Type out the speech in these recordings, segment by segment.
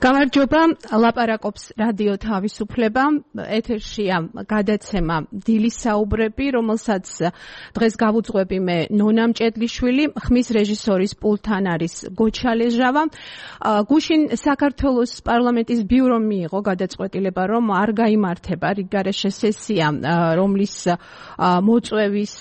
გამარჯობა, ლაპარაკობს რადიო თავისუფლება, ეთერშია გადაცემა დილის საუბრები, რომელსაც დღეს გავუძღვები მე ნონა მჭედლიშვილი, ხმის რეჟისორის პულტთან არის გოჩა ლეჟავა. გუშინ საქართველოს პარლამენტის ბიურომ მიიღო გადაწყვეტილება, რომ არ გაიმართება რიგგარეშე სესია, რომლის მოწვევის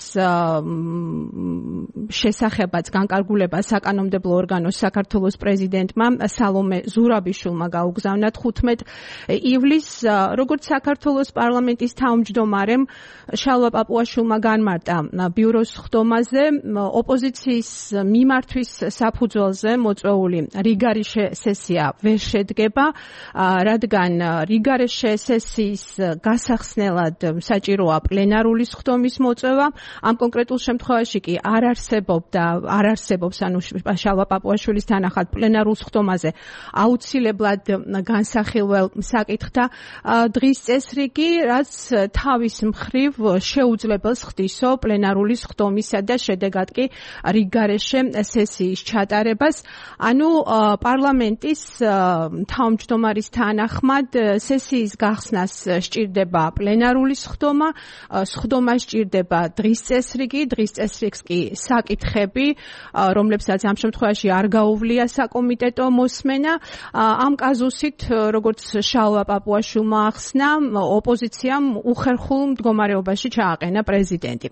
შესახებაც განკარგულება საკანონმდებლო ორგანოს საქართველოს პრეზიდენტმა სალომე ზურაბიშვილმა გაუგზავნა 15 ივლისს, როგორც საქართველოს პარლამენტის თავმჯდომარემ შალვა პაპუაშვილმა განმარტა ბიუროს ხდომაზე, ოპოზიციის მიმართვის საფუძველზე მოწვეული რიგგარეშე სესია ვერ შედგება, რადგან რიგგარეშე სესიის გასახსნელად საჭიროა პლენარული ხდომის მოწვევა. ამ კონკრეტულ შემთხვევაში კი არ არსებობს შალვა პაპუაშვილის თანახმად პლენარულ ხდომაზე აუცილებლად განსახილველ საკითხთა დღის წესრიგი, რაც თავის მხრივ შეუძლებელს ხდისო პლენარული ხდომისა და შედეგად კი რიგგარეშე სესიის ჩატარებას. ანუ პარლამენტის თავმჯდომარის თანახმად სესიის გახსნას სჭირდება პლენარული ხდომა, ხდომა სჭირდება დღის წესრიგი, დღის წესრიგს კი საკითხები, რომლებსაც ამ შემთხვევაში არ გაუვლია საკომიტეტო მოსმენა. ამ კაზუსით, როგორც შალვა პაპუაშვილმა ახსნა, ოპოზიციამ უხერხულ მდგომარეობაში ჩააყენა პრეზიდენტი.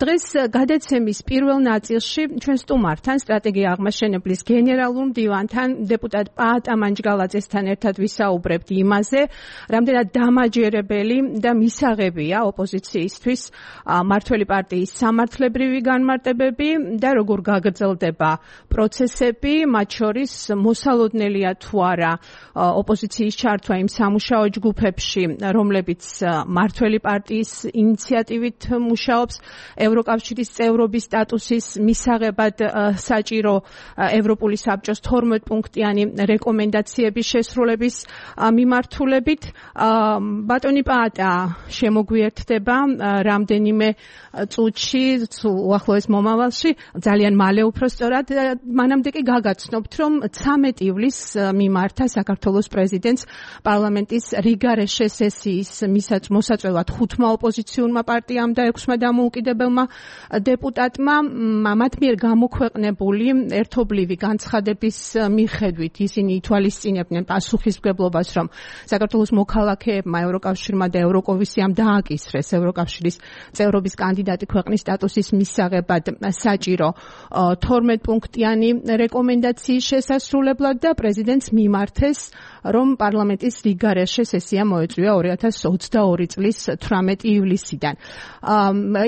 დღეს გადაცემის პირველ ნაწილში ჩვენ სტუმართან, სტრატეგია აღმაშენებლის გენერალურ მდივანთან, დეპუტატ პაატა მანჯგალაძესთან ერთად ვისაუბრებთ იმაზე, რამდენად დამაჯერებელი და მისაღებია ოპოზიციისთვის მმართველი პარტიის სამართლებრივი განმარტებები და როგორ გაგრძელდება პროცესები, მათ შორის მოსალოდნელია თუ არა ოპოზიციის ჩართვა იმ სამუშაო ჯგუფებში, რომლებიც მმართველი პარტიის ინიციატივით მუშაობს, ევროკავშირის წევრობის სტატუსის მისაღებად საჭირო ევროპული საბჭოს 12 პუნქტიანი რეკომენდაციების შესრულების მიმართულებით. ბატონი პაატა შემოგვიერთდება რამდენიმე წუთში, უახლოეს მომავალში, ძალიან მალე უпроსტორად, მანამდე კი გაგაცნობთ, რომ 13 ივლისს მიმართა საქართველოს პრეზიდენტს პარლამენტის რიგგარეშე სესიის მოსაწვევად 5 ოპოზიციურმა პარტიამ და 6 დამოუკიდებელმა დეპუტატმა. მათ მიერ გამოქვეყნებული ერთობლივი განცხადების მიხედვით ისინი ითვალისწინებდნენ პასუხისმგებლობას, რომ საქართველოს მოქალაქეებმა ევროკავშირმა და ევროკომისიამ დააკისრეს ევროკავშირის წევრობის კანდიდატი ქვეყნის სტატუსის მისაღებად საჭირო 12 პუნქტიანი რეკომენდაციის შესასრულებლად და პრეზიდენტს მიმართეს, რომ პარლამენტის რიგგარეშე სესია მოეწვია 2022 წლის 18 ივლისიდან.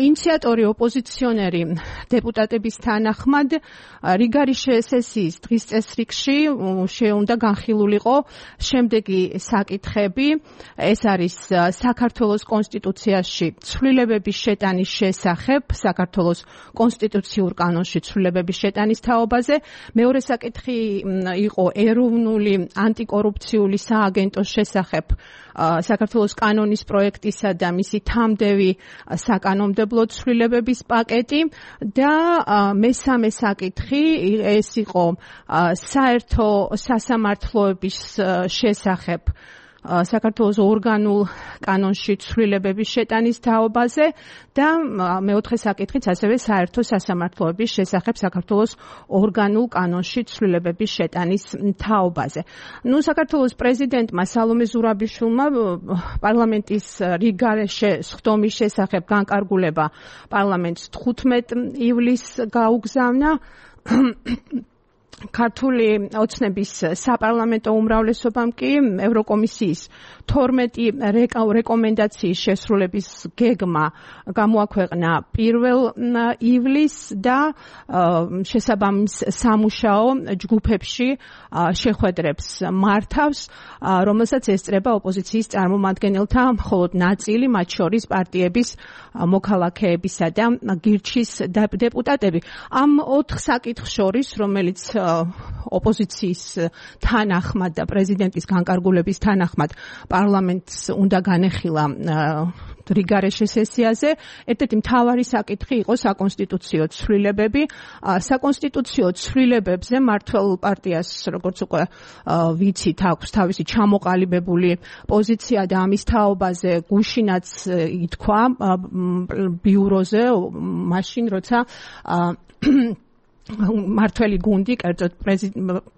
ინიციატორი ოპოზიციონერი დეპუტატების თანახმად რიგგარეშე სესიის დღის წესრიგში შეუნდა განხილულიყო შემდეგი საკითხები. ეს არის საქართველოს კონსტიტუციაში ცვლილებების შეტანის შესახებ, საქართველოს კონსტიტუციურ კანონში ცვლილებების შეტანის თაობაზე. მეორე საკითხი იყო ეროვნული ანტიკორუფციული სააგენტოს შესახებ საქართველოს კანონის პროექტისა და მისი თამდევი საკანონმდებლო ცვლილებების პაკეტი და მესამე საკითხი ეს იყო საერთო სასამართლოების შესახებ საქართველოს ორგანულ კანონში ცვლილებების შეტანის თაობაზე და მეოთხე საკითხიც ასევე საერთო სასამართლოების შესახებ საქართველოს ორგანულ კანონში ცვლილებების შეტანის თაობაზე. საქართველოს პრეზიდენტმა სალომე ზურაბიშვილმა პარლამენტის რიგგარეშე ხდომის შესახებ განკარგულება პარლამენტს 15 ივლისს გაუგზავნა. ქართული ოცნების საპარლამენტო უმრავლესობამ კი ევროკომისიის 12 რეკომენდაციის შესრულების გეგმა გამოაქვეყნა 1 ივლისს და შესაბამის სამუშაო ჯგუფებში შეხვედრებს მართავს, რომელსაც ესწრება ოპოზიციის წარმომადგენელთა მხოლოდ ნაწილი, მათ შორის პარტიების მოქალაქეებისა და გირჩის დეპუტატები. ამ 4 საკითხს შორის, რომელიც ოპოზიციის თანახმად და პრეზიდენტის განკარგულების თანახმად პარლამენტს უნდა განეხილა რიგარეშე სესიაზე. ერთ-ერთი მთავარი საკითხი იყო საკონსტიტუციო ცვლილებები. საკონსტიტუციო ცვლილებებზე მართველ პარტიას, როგორც უკვე ვიცით, აქვს თავისი ჩამოყალიბებული პოზიცია და ამის თაობაზე გუშინაც ითქვა ბიუროზე, მაშინ როცა მართველი გუნდი, კერძოდ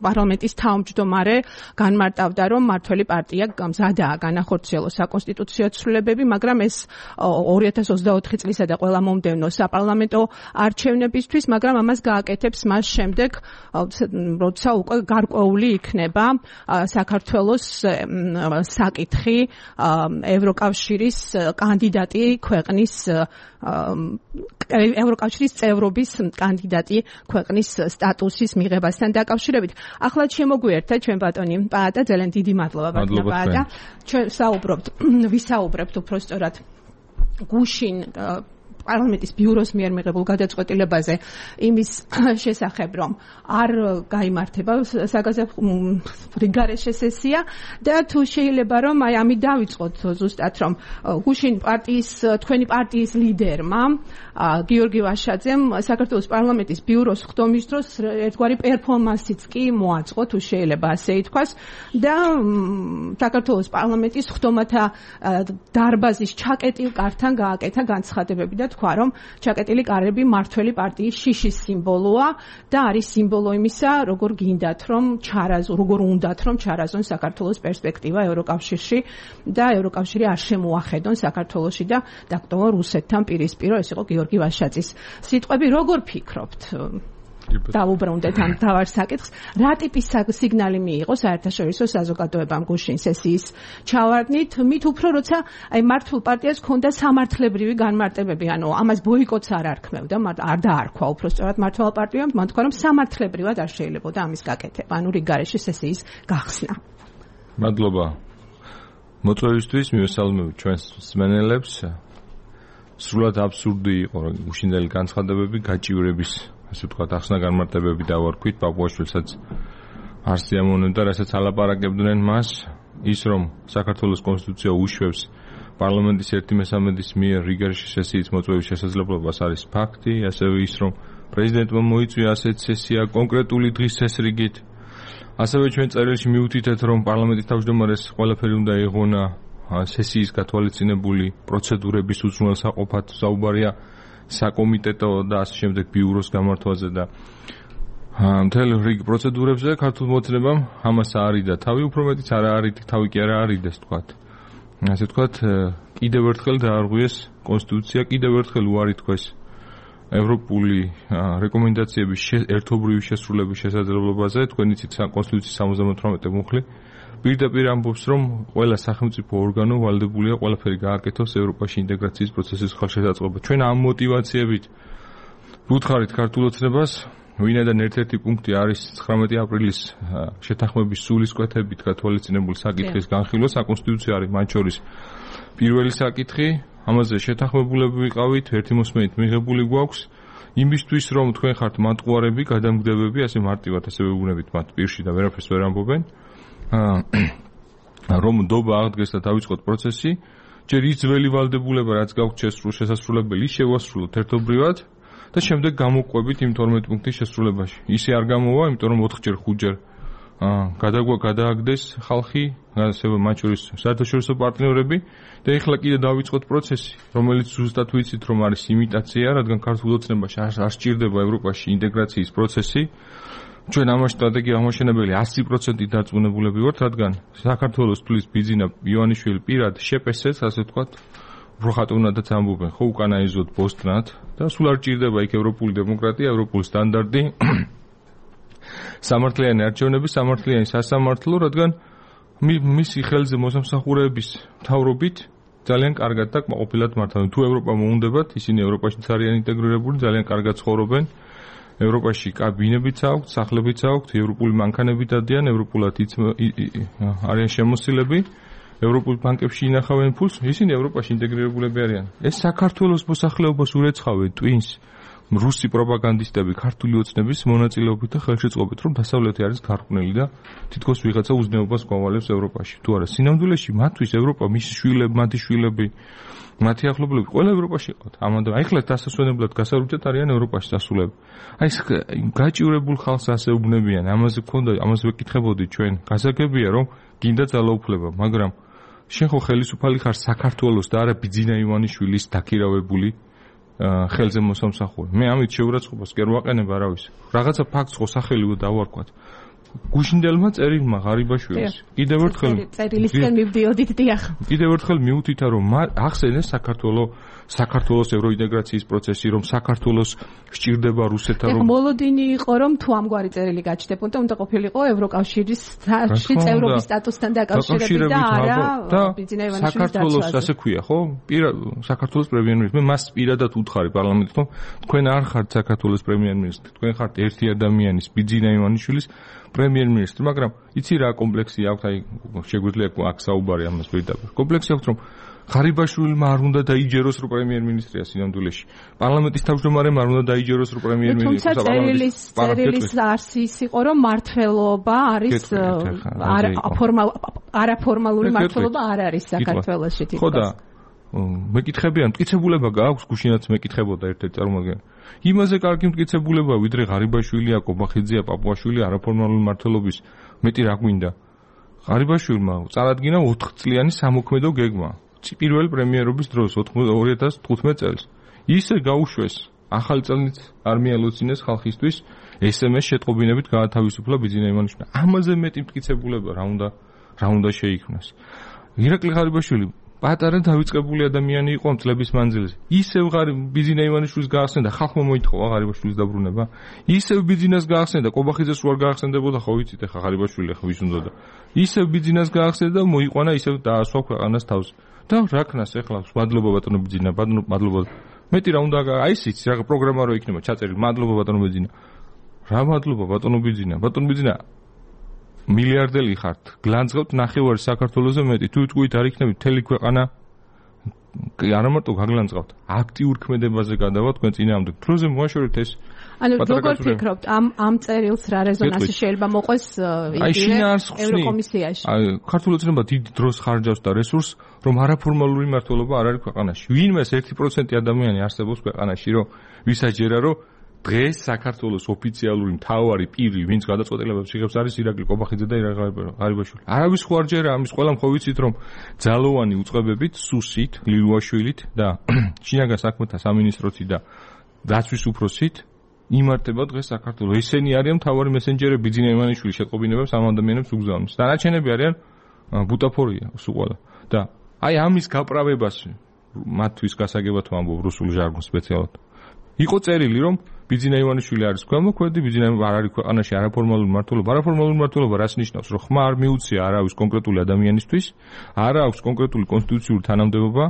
პარლამენტის თავმჯდომარე განმარტავდა, რომ მართველი პარტია მზადაა განახორციელოს საკონსტიტუციო ცვლილებები, მაგრამ ეს 2024 წლისა და ყველა მომდევნო საპარლამენტო არჩევნებისთვის, მაგრამ ამას გააკეთებს მას შემდეგ, როცა უკვე გარკვეული იქნება საქართველოს საკითხი ევროკავშირის კანდიდატი ქვეყნის ევროკავშირის წევრობის კანდიდატი ქვეყნის სტატუსის მიღებასთან დაკავშირებით. ახლა შემოგვიერთდა ჩვენ ბატონი პაატა, ძალიან დიდი მადლობა ბატონო პაატა. ჩვენ ვისაუბრებთ უბრალოდ გუშინ პარლამენტის ბიუროს მიერ მიღებულ გადაწყვეტილებაზე იმის შესახებ, რომ არ გაიმართება რიგარეშე სესია და თუ შეიძლება რომ ამით დავიწყოთ ზუსტად, რომ გუშინ თქვენი პარტიის ლიდერმა გიორგი ვაშაძემ საქართველოს პარლამენტის ბიუროს ხდომის დროს ერთგვარი პერფორმანსიც კი მოაწყო, თუ შეიძლება ასე ითქვას, და საქართველოს პარლამენტის ხდომათა დარბაზის ჩაკეტილ კართან გააკეთა განცხადებები და თქვა, რომ ჩაკეტილი კარები მართველი პარტიის შიშის სიმბოლოა და არის სიმბოლო იმისა, როგორ უნდათ რომ ჩარაზონ საქართველოს პერსპექტივა ევროკავშირში და ევროკავშირი არ შემოახედონ საქართველოში და დაკავონ რუსეთთან პირისპირო. ეს იყო გიორგი ვაშაძის სიტყვები. როგორ ფიქრობთ? დავუბრუნდეთ ამ თავარ საკითხს. რა ტიპის სიგნალი მიიღო საერთაშორისო საზოგადოებამ გუშინ სესიის ჩავარდნით, მით უფრო როცა მართულ პარტიას ჰქონდა სამართლებრივი განმარტებები, ანუ ამას ბოიკოტს არ არქმევდა, არ დაარქვა უბრალოდ მართლ პარტიამ, მან თქვა, რომ სამართლებრივად არ შეიძლებოდა ამის გაკეთება, ანუ რიგარეშე სესიის გახსნა. მადლობა მოწვევისთვის, მივესალმებით ჩვენს მსმენელებს. სრულად აბსურდი იყო გუშინდელი განცხადებები, გაჭირვების ასე ვთქვათ, ახსნა განმარტებები დავარქვით, პაპუაშვილსაც არ სიამოვნებდა, რასაც ალაპარაკებდნენ მას, ის რომ საქართველოს კონსტიტუცია უშვებს პარლამენტის 1/3 მიერ რიგარეშე სესიის მოწვევის შესაძლებლობას არის ფაქტი, ასევე ის რომ პრეზიდენტმა მოიწვია ასეთ სესია კონკრეტული დღის წესრიგით. ასევე ჩვენ წერილში მივუთითეთ, რომ პარლამენტის თავმჯდომარეს ყველაფერი უნდა ეღონა სესიის გათვალისწინებული პროცედურების უზრუნველსაყოფად, საუბარია საკომიტეტო და ასე შემდეგ ბიუროს გამართვაზე და მთელ რიგ პროცედურებზე ქართულ მოწნებამ ამას არიდა თავი, უფრო მეტიც არ არიდა თავი კი არ არიდეს თქვათ. ასე თქვათ, კიდევ ერთხელ დაარღვიეს კონსტიტუცია, კიდევ ერთხელ უარი თქვეს ევროპული რეკომენდაციების ერთობრივი შესრულების შესაძლებლობაზე. თქვენ იცით კონსტიტუციის 78 მუხლი პირდაპირ ამბობს, რომ ყველა სახელმწიფო ორგანო ვალდებულია ყველაფერი გააკეთოს ევროპაში ინტეგრაციის პროცესის ხელშესაწყობად. ჩვენ ამ მოტივაციებით ვუთხარით ქართულ ოცნებას, ვინაიდან ერთ-ერთი პუნქტი არის 19 აპრილის შეთანხმების სულისკვეთებით გათვალისწინებული საკითხის განხილვა, საკონსტიტუციო არის მათ შორის პირველი საკითხი, ამაზე შეთანხმებულები ვიყავით, ერთი მოსმენით მიღებული გვაქვს, იმისთვის რომ თქვენ ხართ მატყუარები, გადამგდებები, ასე მარტივად ასე ვეუბნებით მათ პირში და ვერაფერს ვერ ამბობენ. რომ ნდობა აღდგეს და დავიწყოთ პროცესი, ჯერ ის ძველი ვალდებულება, რაც გაქვთ შესასრულებელი, შევასრულოთ ერთობრივად და შემდეგ გამოყვებით იმ 12 პუნქტის შესრულებაში. ისე არ გამოვა, იმიტომ რომ 4-ჯერ 5-ჯერ გადააგდეს ხალხი, ასევე მათ შორის საერთაშორისო პარტნიორები და ეხლა კიდე დავიწყოთ პროცესი, რომელიც ზუსტად ვიცით, რომ არის იმიტაცია, რადგან ქართულ ოცნებაში არ სჭირდება ევროპაში ინტეგრაციის პროცესი. ჩვენ ამას სტრატეგია აღმაშენებელი 100% დარწმუნებულები ვართ, რადგან საქართველოს თulis ბიძინა ივანიშვილი პირად შეპესეს, ასე ვთქვათ, უბრალოდაც ამბობენ, ხო უკანაიზოთ ბოსტნად და სულ არ ჭირდება იქ ევროპული დემოკრატია, ევროპული სტანდარტი, სამართლიანი არჩევნები, სამართლიანი სასამართლო, რადგან მისი ხელზე მოსამსახურეების მთავრობით ძალიან კარგად და კმაყოფილად მართავენ. თუ ევროპა მოუნდებათ, ისინი ევროპაში არიან ინტეგრირებული, ძალიან კარგად ცხოვრობენ. ევროპაში კაბინებიც აქვთ, სახლებიც აქვთ, ევროპული მანქანები დადიან, ევროპულად არიან შემოსილები, ევროპულ ბანკებში ინახავენ ფულს, ისინი ევროპაში ინტეგრირებულები არიან. ეს საქართველოს მოსახლეობას ურეცხავენ ტვინს, რუსი პროპაგანდისტები ქართული ოცნების მონაწილეობით და ხელშეწყობით რომ დასავლეთი არის გარყვნილი და თითქოს ვიღაცა უზნეობას გვავალებს ევროპაში. თუ არა, სინამდვილეში მათთვის ევროპა, მისი შვილები, მათი შვილები, მათი ახლობლები ყველა ევროპაში ყავთ. ამიტომ ახლა დასასვენებლად გასარუჭეთ არიან ევროპაში დასულები. აი ეს გაჭირებულ ხალხს ასე უბნებიან, ამაზე გქონდა, ამაზე ვეკითხებოდი ჩვენ. გასაგებია რომ გინდა ძალაუფლება, მაგრამ შენ ხო ხელისუფალი ხარ საქართველოს და არა ბიძინა ივანიშვილის დაქირავებული ხელზე მოსამსახურე. მე ამით შეურაცხყოფას კი არ ვაყენებ არავის. რაღაცა ფაქტს ხო სახელივე დავარქვათ. გუშინდელმა წერილმა ღარიბაშვილის კიდევ ერთხელ წერილისკენ მივდიოდით დიახ. კიდევ ერთხელ მიუთითა რომ ახსენეს საქართველოს ევროინტეგრაციის პროცესი, რომ საქართველოს სჭირდება რუსეთთან რომ მოლოდინი იყო რომ თუ ამგვარი წერილი გაჩნდებოდა, უნდა ყოფილიყო ევროკავშირის წევრობის სტატუსთან დაკავშირებით და არა ბიძინა ივანიშვილის დაცვაზე. საქართველოს ასე ქვია, ხო? საქართველოს პრემიერ-მინისტრი. მე მას პირადად უთხარი პარლამენტში, რომ თქვენ არ ხართ საქართველოს პრემიერ-მინისტრი, თქვენ ხართ ერთი ადამიანის ბიძინა ივანიშვილის პრემიერ-მინისტრი, მაგრამ იცი რა კომპლექსი აქვს, აი შეგვიძლია აქ საუბარი ამას პირდაპირ. კომპლექსი აქვს, რომ ღარიბაშვილმა არ უნდა დაიჯეროს რომ პრემიერ-მინისტრია სინამდვილეში. პარლამენტის თავმჯდომარემ არ უნდა დაიჯეროს რომ პრემიერ-მინისტრია. თუმცა წერილის არსის იყო რომ მართლობა არის არაფორმალური მართლობა არ არის საქართველოში თითქოს. ხო და მეკითხებიან, მტკიცებულება გააქვს, გუშინაც მეკითხებოდა ერთ-ერთი წარმომადგენელი. იმაზე კარგი მტკიცებულება, ვიდრე ღარიბაშვილია, კობახიძეა, პაპუაშვილი არაფორმალური მართლობის, მეტი რა გვინდა. ღარიბაშვილმა წარადგინა 4 წლიანი სამოქმედო გეგმა. პირველი პრემიერობის დროს 2015 წელს. ისე გაუშვეს ახალი წელით არ მიალოცინეს ხალხისთვის SMS შეტყობინებით გაათავისუფლა ბიძინა ივანიშვილი. ამაზე მეტი მტკიცებულება რა უნდა შეიქმნას. ირაკლი ღარიბაშვილი პატარა დავიწყებული ადამიანი იყო ამ წლების მანძილზე. ისევ ბიძინა ივანიშვილის გაახსენდა, ხალხმა მოითხოვა ღარიბაშვილის დაბრუნება. ისევ ბიძინას გაახსენდა, კობახიძეს რო არ გაახსენდებოდა, ხო ვიცით ახლა ღარიბაშვილი ახლა ვის უნდოდა. ისევ ბიძინას გაახსენდა, მოიყვანა, ისევ დაასვა ქვეყანას თავს. და რა ქნას ახლა მადლობა ბატონო ბიძინა, მადლობა. მეტი რა უნდა აი ისიც რა პროგრამა რო იქნება ჩაწერილი, მადლობა ბატონო ბიძინა. რა მადლობა ბატონო ბიძინა, ბატონო ბიძინა. მილიარდელი ხართ, გლანძღავთ ნახევარი საქართველოზე მეტი. თუ თქვით არ იქნებით მთელი ქვეყანა არა მარტო გაგლანძღავთ, აქტიურ ქმედებაზე გადავა თქვენ წინააღმდეგ. დროზე მოაშორეთ ეს. ანუ როგორ ფიქრობთ ამ წერილს რა რეზონანსი შეიძლება მოყვეს ევროკომისიაში? აი ქართული ოცნება დიდ დროს ხარჯავს და რესურსს, რომ არაფორმალური მმართველობა არ არის ქვეყანაში. ვინმეს 1% ადამიანი არსებობს ქვეყანაში, რომ ვისაჯერა რომ დღეს საქართველოს ოფიციალური მთავარი პირი, ვინც გადაწყვეტილებებს იღებს, არის ირაკლი კობახიძე და ღარიბაშვილი. არავის ხო არ ჯერა ამის ყველა ხო ვიცით, რომ ძალოვანი უწყებებით, სუსით, ლილუაშვილით და შინაგან საქმეთა სამინისტროთი და დაცვის უფროსით იმართება დღეს საქართველოს. ესენი არიან მთავარი მესენჯერები ბიძინა ივანიშვილის შეტყობინებებს ამ ადამიანებს უგზავნის. დანარჩენები არიან ბუტაფორია სულ. და აი ამის გაправებას მათთვის გასაგებად ვამბობ რუსულ ჟარგონს სპეციალურად. იყო წერილი, რომ ბიძინა ივანიშვილი არის ქვემოქმედი, ბიძინა არ არის ქვეყანაში არაფორმალური მმართველობა. არაფორმალური მმართველობა რას ნიშნავს? რომ ხმა არ მიუწია არავის კონკრეტული ადამიანისთვის, არა აქვს კონკრეტული კონსტიტუციური თანამდებობა,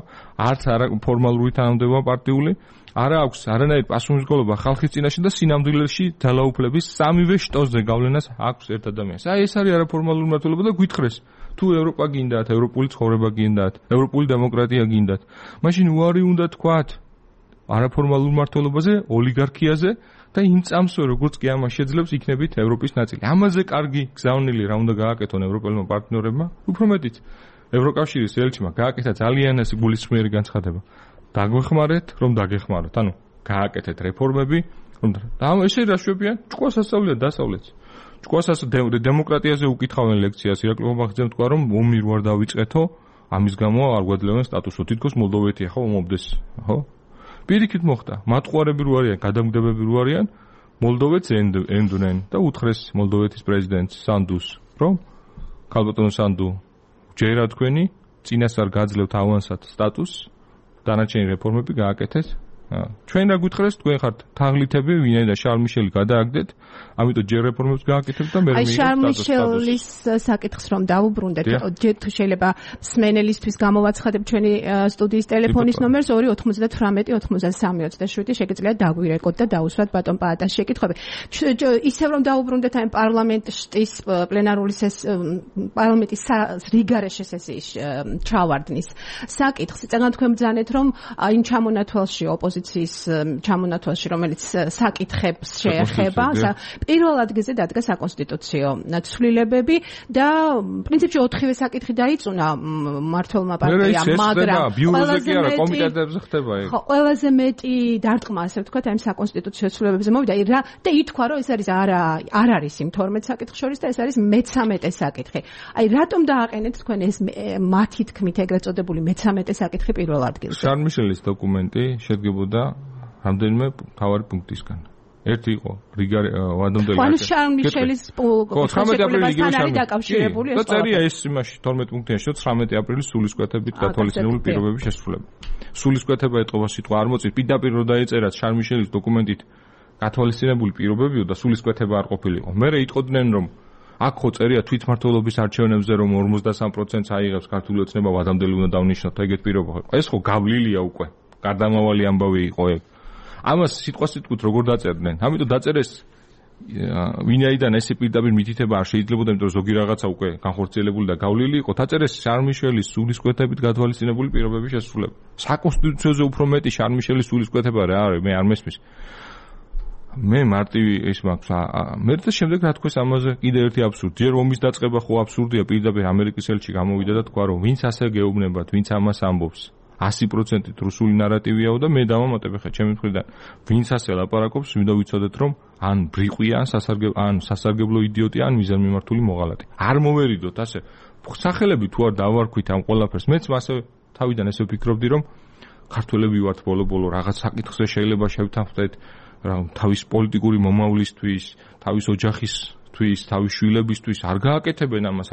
არც არაფორმალური თანამდებობა პარტიული, არა აქვს არანაირი პასუხისმგებლობა ხალხის წინაშე და სინამდვილეში ძალაუფლების სამივე შტოზე გავლენას აქვს ერთ ადამიანს. აი ეს არის არაფორმალური მმართველობა და გვითხრეს თუ ევროპა გინდათ, ევროპული ცხოვრება გინდათ, ევროპული დემოკრატია გინდათ, მაშინ უარი უნდა თქვათ არაფორმალურ მმართველობაზე, ოლიგარქიაზე და იმ წამსვე როგორც კი ამას შეძლებს იქნებით ევროპის ნაწილი. ამაზე კარგი გზავნილი რა უნდა გააკეთონ ევროპელმა პარტნიორებმა, უფრო მეტიც ევროკავშირის ელჩმა გააკეთა ძალიან ეს გულისხმიერი განცხადება. დაგვეხმარეთ, რომ დაგეხმაროთ. ანუ გააკეთეთ რეფორმები, რომ და ესე რა შვებიან? ჭკუას ასწავლეთ დასავლეთს. ჭკუას დემოკრატიაზე უკითხავენ ლექციას, ირაკლი კობახიძემ თქვა, რომ ომი რო არ დავიწყეთო, ამის გამო არ გვაძლევენ სტატუსო. თითქოს მოლდოვეთი ახლა ომობდეს, ხო? პირიქით მოხდა, მატყუარები რო არიან, გადამგდებები რო არიან, მოლდოვეთს ენდვნენ და უთხრეს მოლდოვეთის პრეზიდენტს სანდუს, რომ ქალბატონო სანდუ, ჯერა თქვენი წინასწარ გაძლევთ ავანსად სტატუსს, დანარჩენი რეფორმები გააკეთეთ. ჩვენ რა გითხრეს, თქვენ ხართ თაღლითები, ვინაიდან შარლ მიშელი გადააგდეთ, ამიტომ ჯერ რეფორმებს გააკეთებთ და მე აი შარლ მიშელის საკითხს რომ დავუბრუნდეთ, ჯერ თუ შეიძლება სმენელისთვის გამოვაცხადებ ჩვენი სტუდიის ტელეფონის ნომერს 298-93-27 შეგიძლიათ დაგვირეკოთ და დაუსვათ ბატონ პაატას შეკითხვები. ისევ რომ დავუბრუნდეთ აი პარლამენტის პლენარული პარლამენტის რიგარეშე სესიის ჩავარდნის საკითხს. წეგან თქვენ ბრძანეთ რომ იმ ჩამონათვალში ოპოზიცია ოპოზიციის ჩამონათვალში, რომელიც საკითხებს შეეხება, პირველ ადგილზე დადგა საკონსტიტუციო ცვლილებები და პრინციპში 4-ვე საკითხი დაიწუნა მმართველმა პარტიამ, მაგრამ ყველაზე მეტი დარტყმა, ასე ვთქვათ, აი საკონსტიტუციო ცვლილებებზე მოვიდა და ითქვა, რომ ეს არის არ არის იმ 12 საკითხის შორის და ეს არის მე-13 საკითხი. აი რატომ დააყენეთ თქვენ ეს მათი თქმით ეგრეთ წოდებული მე-13 საკითხი პირველ ადგილზე? შარლ-მიშელის დოკუმენტი შედგებოდა რამდენიმე მთავარი პუნქტისგან. ერთი იყო ვადამდელი შარლ-მიშელის პროცესებთან არის დაკავშირებული ეს. და წერია ეს იმაში 12 პუნქტია, 19 აპრილის სულისკვეთებით გათვალისწინებული პირობების შესრულება. სულისკვეთება ეტყობა სიტყვა არ მოწით, პირდაპირ რო დაეწერათ შარლ-მიშელის დოკუმენტით გათვალისწინებული პირობებიო და სულისკვეთება არ ყოფილიყო. მერე იტყოდნენ რომ აქ ხო წერია თვითმმართველობის არჩევნებზე რომ 53%-ს აიღებს ქართული ოცნება ვადამდელი უნდა დავნიშნოთ ეგეთ პირობა. ეს ხო გავლილია უკვე. გარდამავალი ამბავი იყო ეგ. ამას სიტყვასიტყვით როგორ დაწერდნენ? ამიტომ დაწერეს ვინაიდან ესე პირდაპირ მითითება არ შეიძლებოდა, იმიტომ რომ ზოგი რაღაცა უკვე განხორციელებული და გავლილი იყო. დაწერეს შარლ-მიშელის სულისკვეთებით გათვალისწინებული პირობების შესრულება. საკონსტიტუციოზე უფრო მეტი შარლ-მიშელის სულისკვეთება რა არის? მე არ მესმის. მე მარტივი ის მაქვს. მე და შემდეგ რა თქვეს ამაზე კიდე ერთი აბსურდი. ჯერ ომის დაწყება ხო აბსურდია, პირდაპირ ამერიკის ელჩი გამოვიდა და თქვა რომ ვინც ასე გეუბნებათ, ვინც ამას ამბობს. 100%-ით რუსული ნარატივიაო და მე დავამატებ ხა ჩემი მხრიდან. ვინც ასე ლაპარაკობს, მინდა ვიცოდეთ რომ ან ბრიყვია, ან სასარგებლო იდიოტია, ან მიზანმიმართული მოღალატე. არ მოვერიდოთ ასე. სახელები თუ არ დავარქვით ამ ყველაფერს, მეც მასე თავიდან ესე ვფიქრობდი რომ ქართველები ვართ ბოლო-ბოლო რაღაც საკითხზე შეიძლება შევთანხმდეთ თავის პოლიტიკური მომავლისთვის, თავის ოჯახისთვის, თავის შვილებისთვის არ გააკეთებენ ამას,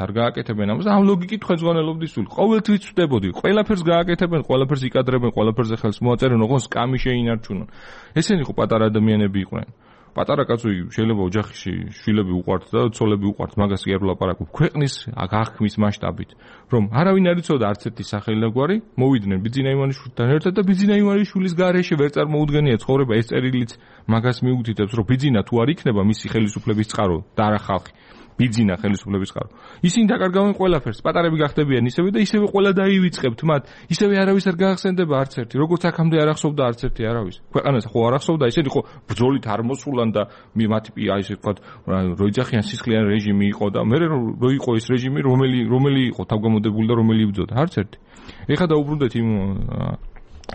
ამ ლოგიკით ხელმძღვანელობდი სულ. ყოველთვის ვწდებოდი, ყველაფერს გააკეთებენ, ყველაფერს იკადრებენ, ყველაფერზე ხელს მოაწერენ, ოღონდ სკამი შეინარჩუნონ. ესენი ხო პატარა ადამიანები იყვნენ. პატარა კაცი შეიძლება ოჯახში შვილები უყვართ და ცოლები უყვართ, მაგას კი არ ვლაპარაკობ. ქვეყნის აღქმის მასშტაბით, რომ არავინ არ იცოდა არც ერთი სახელი და გვარი, მოვიდნენ ბიძინა ივანიშვილთან ერთად და ბიძინა ივანიშვილის გარეშე ვერ წარმოუდგენია ცხოვრება. ეს წერილიც მაგას მიუთითებს, რომ ბიძინა თუ არ იქნება მისი ხელისუფლების წყარო და არა ხალხი. ბიძინა ხელისუფლების წყარო. ისინი დაკარგავენ ყველაფერს, პატარები გახდებიან ისევე და ისევე ყველა დაივიწყებთ მათ. ისევე არავის არ გაახსენდება არც ერთი. როგორც აქამდე არ ახსოვდა არც ერთი არავის. ქვეყანას ხო არ ახსოვდა, ისინი ხო ბრძოლით არ მოსულან და მათი აი ესე ვთქვათ, რო იძახიან სისხლიანი რეჟიმი იყო და მე რო იყო ეს რეჟიმი, რომელი იყო თავგამოდებული და რომელი იბრძოდა, არც ერთი. ეხლა დაუბრუნდეთ იმ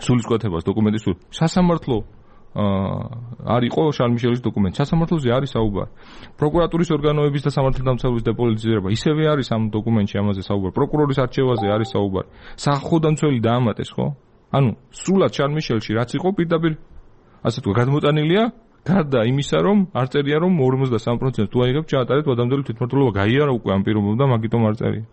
სულისკვეთებას დოკუმენტის სულ. სასამართლო არ იყო შარლ-მიშელის დოკუმენტი. სასამართლოზე არის საუბარი. პროკურატურის ორგანოების და სამართალდამცავების დეპოლიტიზება ისევე არის ამ დოკუმენტში, ამაზე საუბარი. პროკურორის არჩევაზე არის საუბარი. სახელმწიფო დაამატეს, ხო? ანუ სულად შარლ-მიშელში რაც იყო პირდაპირ ასე თქვა გადმოტანილია, გარდა იმისა, რომ არ წერია რომ 53% თუ აიღებ ჩაატარეთ ვადამდელი თვითმმართველობა, გაიარა უკვე ამ პირობებთან და მაგიტომ არ წერია.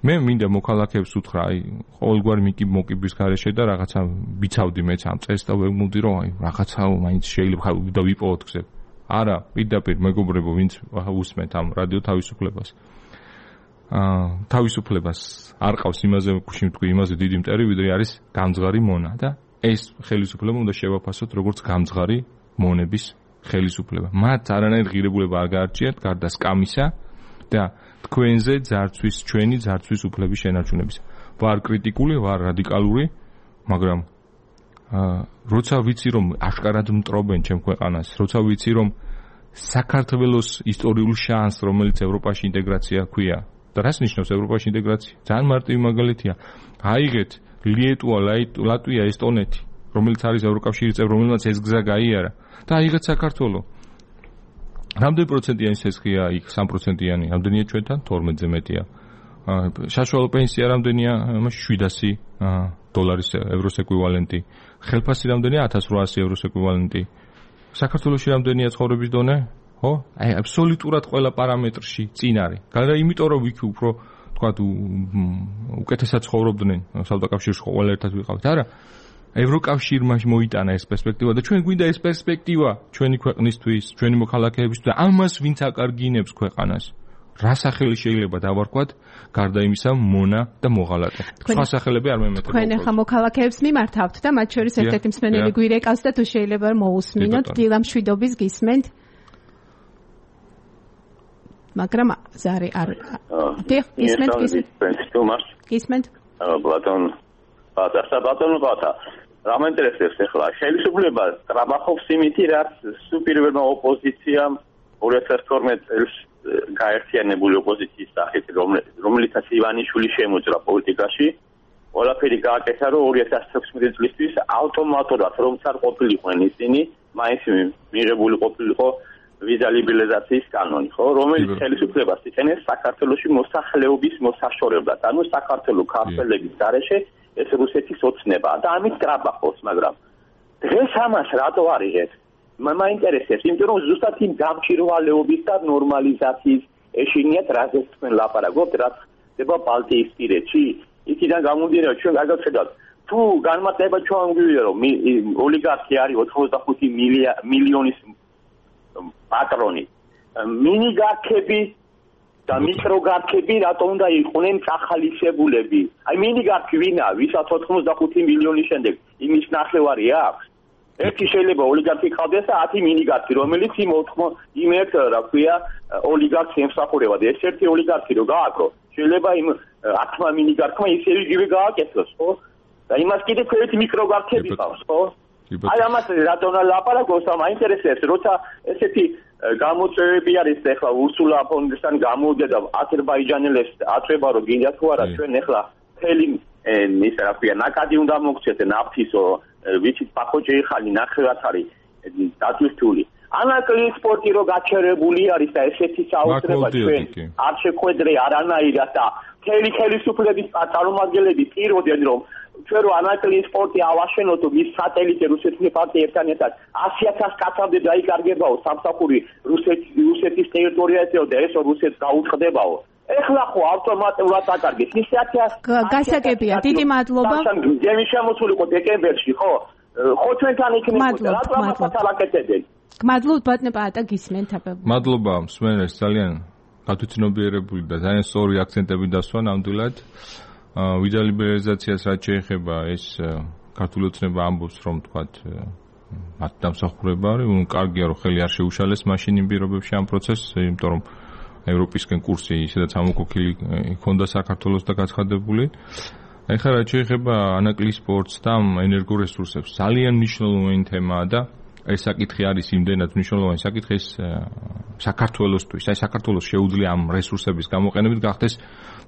მე მინდა მოქალაქეებს უთხრა, აი, ყოველგვარი მოკიბის გარეშე და რაღაცა ვიცავდი მეც ამ წეს და ვეგმოვდი რომ აი, რაღაცაო მაინც შეიძლება და ვიპოვოთ გზები. არა, პირდაპირ მეგობრებო, ვინც უსმენთ ამ რადიო თავისუფლებას. თავისუფლებას არ ყავს იმაზე, გუშინ ვთქვი, იმაზე დიდი მტერი, ვიდრე არის გამძღარი მონა და ეს ხელისუფლება უნდა შევაფასოთ როგორც გამძღარი მონების ხელისუფლება. მათ არანაირ ღირებულება არ გაარჩიათ გარდა სკამისა და თქვენზე ჩვენი ძარცვის უფლების შენარჩუნების. ვარ კრიტიკული, ვარ რადიკალური, მაგრამ როცა ვიცი რომ აშკარად მტრობენ ჩემ ქვეყანას, როცა ვიცი რომ საქართველოს ისტორიულ შანსს, რომელიც ევროპაში ინტეგრაცია ჰქვია და რას ნიშნავს ევროპაში ინტეგრაცია? ძალიან მარტივი მაგალითია. აიღეთ ლიეტუვა, ლატვია, ესტონეთი, რომელიც არის ევროკავშირის წევრი, რომელმაც ეს გზა გაიარა და აიღეთ საქართველოს. რამდენი პროცენტიანი სესხია იქ? 3%-იანი. რამდენია ჩვენთან? 12-ზე მეტია. საშუალო პენსია რამდენია? 700 დოლარის ევროს ეკვივალენტი. ხელფასი რამდენია? 1800 ევროს ეკვივალენტი. საქართველოში რამდენია ცხოვრების დონე? ხო? აი აბსოლუტურად ყველა პარამეტრში წინ არის. გარდა იმიტომ რომ იქ უფრო თქვათ უკეთესად ცხოვრობდნენ საავტოკავშირში ყველა ერთად ვიყავთ. არა. ევროკავშირმა მოიტანა ეს პერსპექტივა და ჩვენ გვინდა ეს პერსპექტივა ჩვენი ქვეყნისთვის, ჩვენი მოქალაქეებისთვის და ამას ვინც აკარგინებს ქვეყანას. რა სახელი შეიძლება დავარქვათ, გარდა იმისა, მონა და მოღალატე. სხვა სახელები არ მემეთა. თქვენ ახლა მოქალაქეებს მიმართავთ და მათ შორის ერთ-ერთი მსმენელი გვირეკავს და თუ შეიძლება მოусმინოთ, დილამშვიდობის გისმენთ. მაგრამ ზარი არ გისმენთ. პლატონ ბატონო ბატა რა მაინტერესებს ახლა ხელისუფლება ტრაბახობს იმითი რაც სუპირვერმა ოპოზიციამ 2012 წელს გაერთიანებული ოპოზიციის სახით რომელიცაც ივანიშვილი შემოჭრა პოლიტიკაში ყველაფერი გააკეთა რომ 2016 წლისთვის ავტომატურად რომ არ ყოფილიყვნენ ისინი მაინც მიღებული ყოფილიყო ვიზა ლიბერალიზაციის კანონი ხო რომელიც ხელისუფლებას იწენეს საქართველოში მოსახლეობის მოსაშორებლად ანუ საქართველოს ქართველების გარეშე ეს რუსეთის ოცნებაა და ამით ტრაბახობს მაგრამ დღეს ამას რატო არიღეთ მაინტერესებს იმიტომ რომ ზუსტად იმ გამჭირვალეობის და ნორმალიზაციის ეშინიათ რაზეც თქვენ ლაპარაკობთ რაც ხდება ბალტიისპირეთში იქიდან გამომდინარე ჩვენ გადავხედავთ თუ განმარტება ჩვენ გვიგვია რომ ოლიგარქი არის 85 მილიონის პატრონი მინიგარქები და მიკროგარქები რატომ უნდა იყვნენ წახალისებულები აი მინიგარქი ვინაა ვისაც 85 მილიონის შემდეგ იმის ნახევარი აქვს ერთი შეიძლება ოლიგარქი ყავდეს და 10 მინიგარქი რომელიც იმ ერთ რა ქვია ოლიგარქს ემსახურება და ეს ერთი ოლიგარქი რო გააკრო შეიძლება იმ 10 მინიგარქმა ისე იგივე გააკეთოს ხო და იმას კიდე ერთი მიკროგარქები ყავს ხო აი ამას რატომ ლაპარაკობს ამ აინტერესებს როცა ესეთი გამოწვევები არის ახლა ურსულა ფონდესთან გამოვიდა და აზერბაიჯანელებს აწვება რომ გინდა თუ არა ჩვენ ახლა მთელი ის რა ქვია ნაკადი უნდა მოგცეთ ნაფთის ვიცით პაკოჭე ხალი ნახევარად არის დაწვირთული ანაკლიის სპორტი რო გაჩერებული არის და ესეთი საუბრება ჩვენ არ შეხვედრე არანაირად და მთელი ხელისუფლების წარმომადგენლები პირობდნენ რომ ჩვენ რო ანაკლიის სპორტი ავაშენოთ მის სატელიტი რუსეთის პარტია ერთმანეთთან 100,000 კაცამდე დაიკარგებაო სამსახური რუსეთის ტერიტორიაზე და ეს რუსეთს გაუწყდებაო ეხლა ხო ავტომატურად აკარგეს ისე 100,000 გასაგებია დიდი მადლობა გემი შემოსულიყო დეკემბერში ხო ჩვენთან იქნებოდა რატომ ამასაც ალაკეთებენ მადლობთ ბატონო პაატა გისმენთ აბა მადლობა მსმენელს ძალიან გათვითნობიერებული და ძალიან სწორი აქცენტები დასვა ნამდვილად ვიზა ლიბერალიზაციას რაც შეეხება ეს ქართული ოცნება ამბობს რომ თქვათ მათ დამსახურება არის კარგია რომ ხელი არ შეუშალეს მაშინ იმ პირობებში ამ პროცესს იმიტომ რომ ევროპისკენ კურსი ისედაც ამოქოქილი ჰქონდა საქართველოს და გაცხადებული ეხლა რაც შეეხება ანაკლიის სპორტს და ენერგორესურსებს ძალიან მნიშვნელოვანი თემაა და ეს საკითხი არის იმდენად მნიშვნელოვანი საკითხი ეს საქართველოსთვის აი საქართველოს შეუძლია ამ რესურსების გამოყენებით გახდეს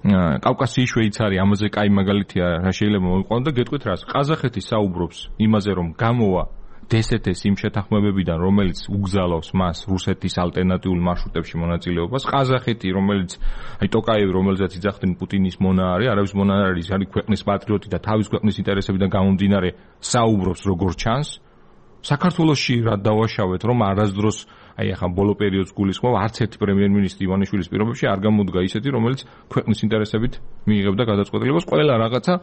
კავკასიის შვეიცარია ამაზე კაი მაგალითია რა შეიძლება მოიყვანო და გეტყვით რას ყაზახეთი საუბრობს იმაზე რომ გამოვა დსთ-ს იმ შეთანხმებებიდან რომელიც უგზალავს მას რუსეთის ალტერნატიულ მარშრუტებში მონაწილეობას ყაზახეთი რომელიც აი ტოკაევი რომელზეც იძახდნენ პუტინის მონა არის არავის მონა არის არის ქვეყნის პატრიოტი და თავის ქვეყნის ინტერესებიდან გამომდინარე საუბრობს როგორც ჩანს საქართველოში რა დავაშავეთ რომ არასდროს აი ახლა ბოლო პერიოდს გულისხმობ არც ერთი პრემიერ-მინისტრი ივანიშვილის პირობებში არ გამოდგა ისეთი რომელიც ქვეყნის ინტერესებით მიიღებდა გადაწყვეტილებას ყველა რაღაცა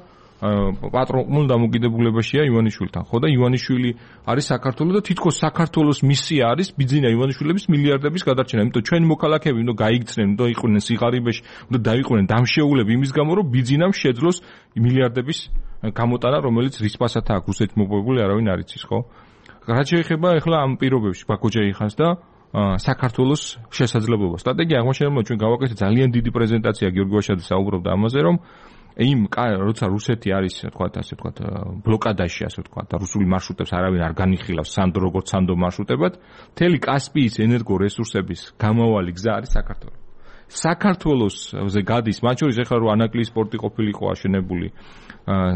პატრონულ დამოკიდებულებაშია ივანიშვილთან ხო და ივანიშვილი არის საქართველოს და თითქოს საქართველოს მისია არის ბიძინა ივანიშვილების მილიარდების გადარჩენა იმიტომ ჩვენ მოქალაქეები უნდა გაიქცნენ უნდა იყვნენ სიღარიბეში უნდა დაიყვნენ დამშეულები იმის გამო რომ ბიძინამ შეძლოს მილიარდების გამოტანა რომელიც რისპასად აქვს რუსეთში მოპოვებული არავინ არ იცის ხო რაც შეეხება ახლა ამ პირობებში ბაქოჯეიხანს და საქართველოს შესაძლებლობა სტრატეგია აღმოჩენილმა ჩვენ გავაკეთეთ ძალიან დიდი პრეზენტაცია გიორგი ვაშაძე საუბრობდა ამაზე რომ იმ როცა რუსეთი არის თქვათ ასე თქვათ ბლოკადაში ასე თქვათ და რუსული მარშრუტებს არავინ არ განიხილავს სანდო როგორც სანდო მარშრუტებად მთელი კასპიის ენერგორესურსების გამავალი გზა არის საქართველო საქართველოსზე გადის მათ შორის ახლა რო ანაკლიის სპორტი ყოფილიყო აშენებული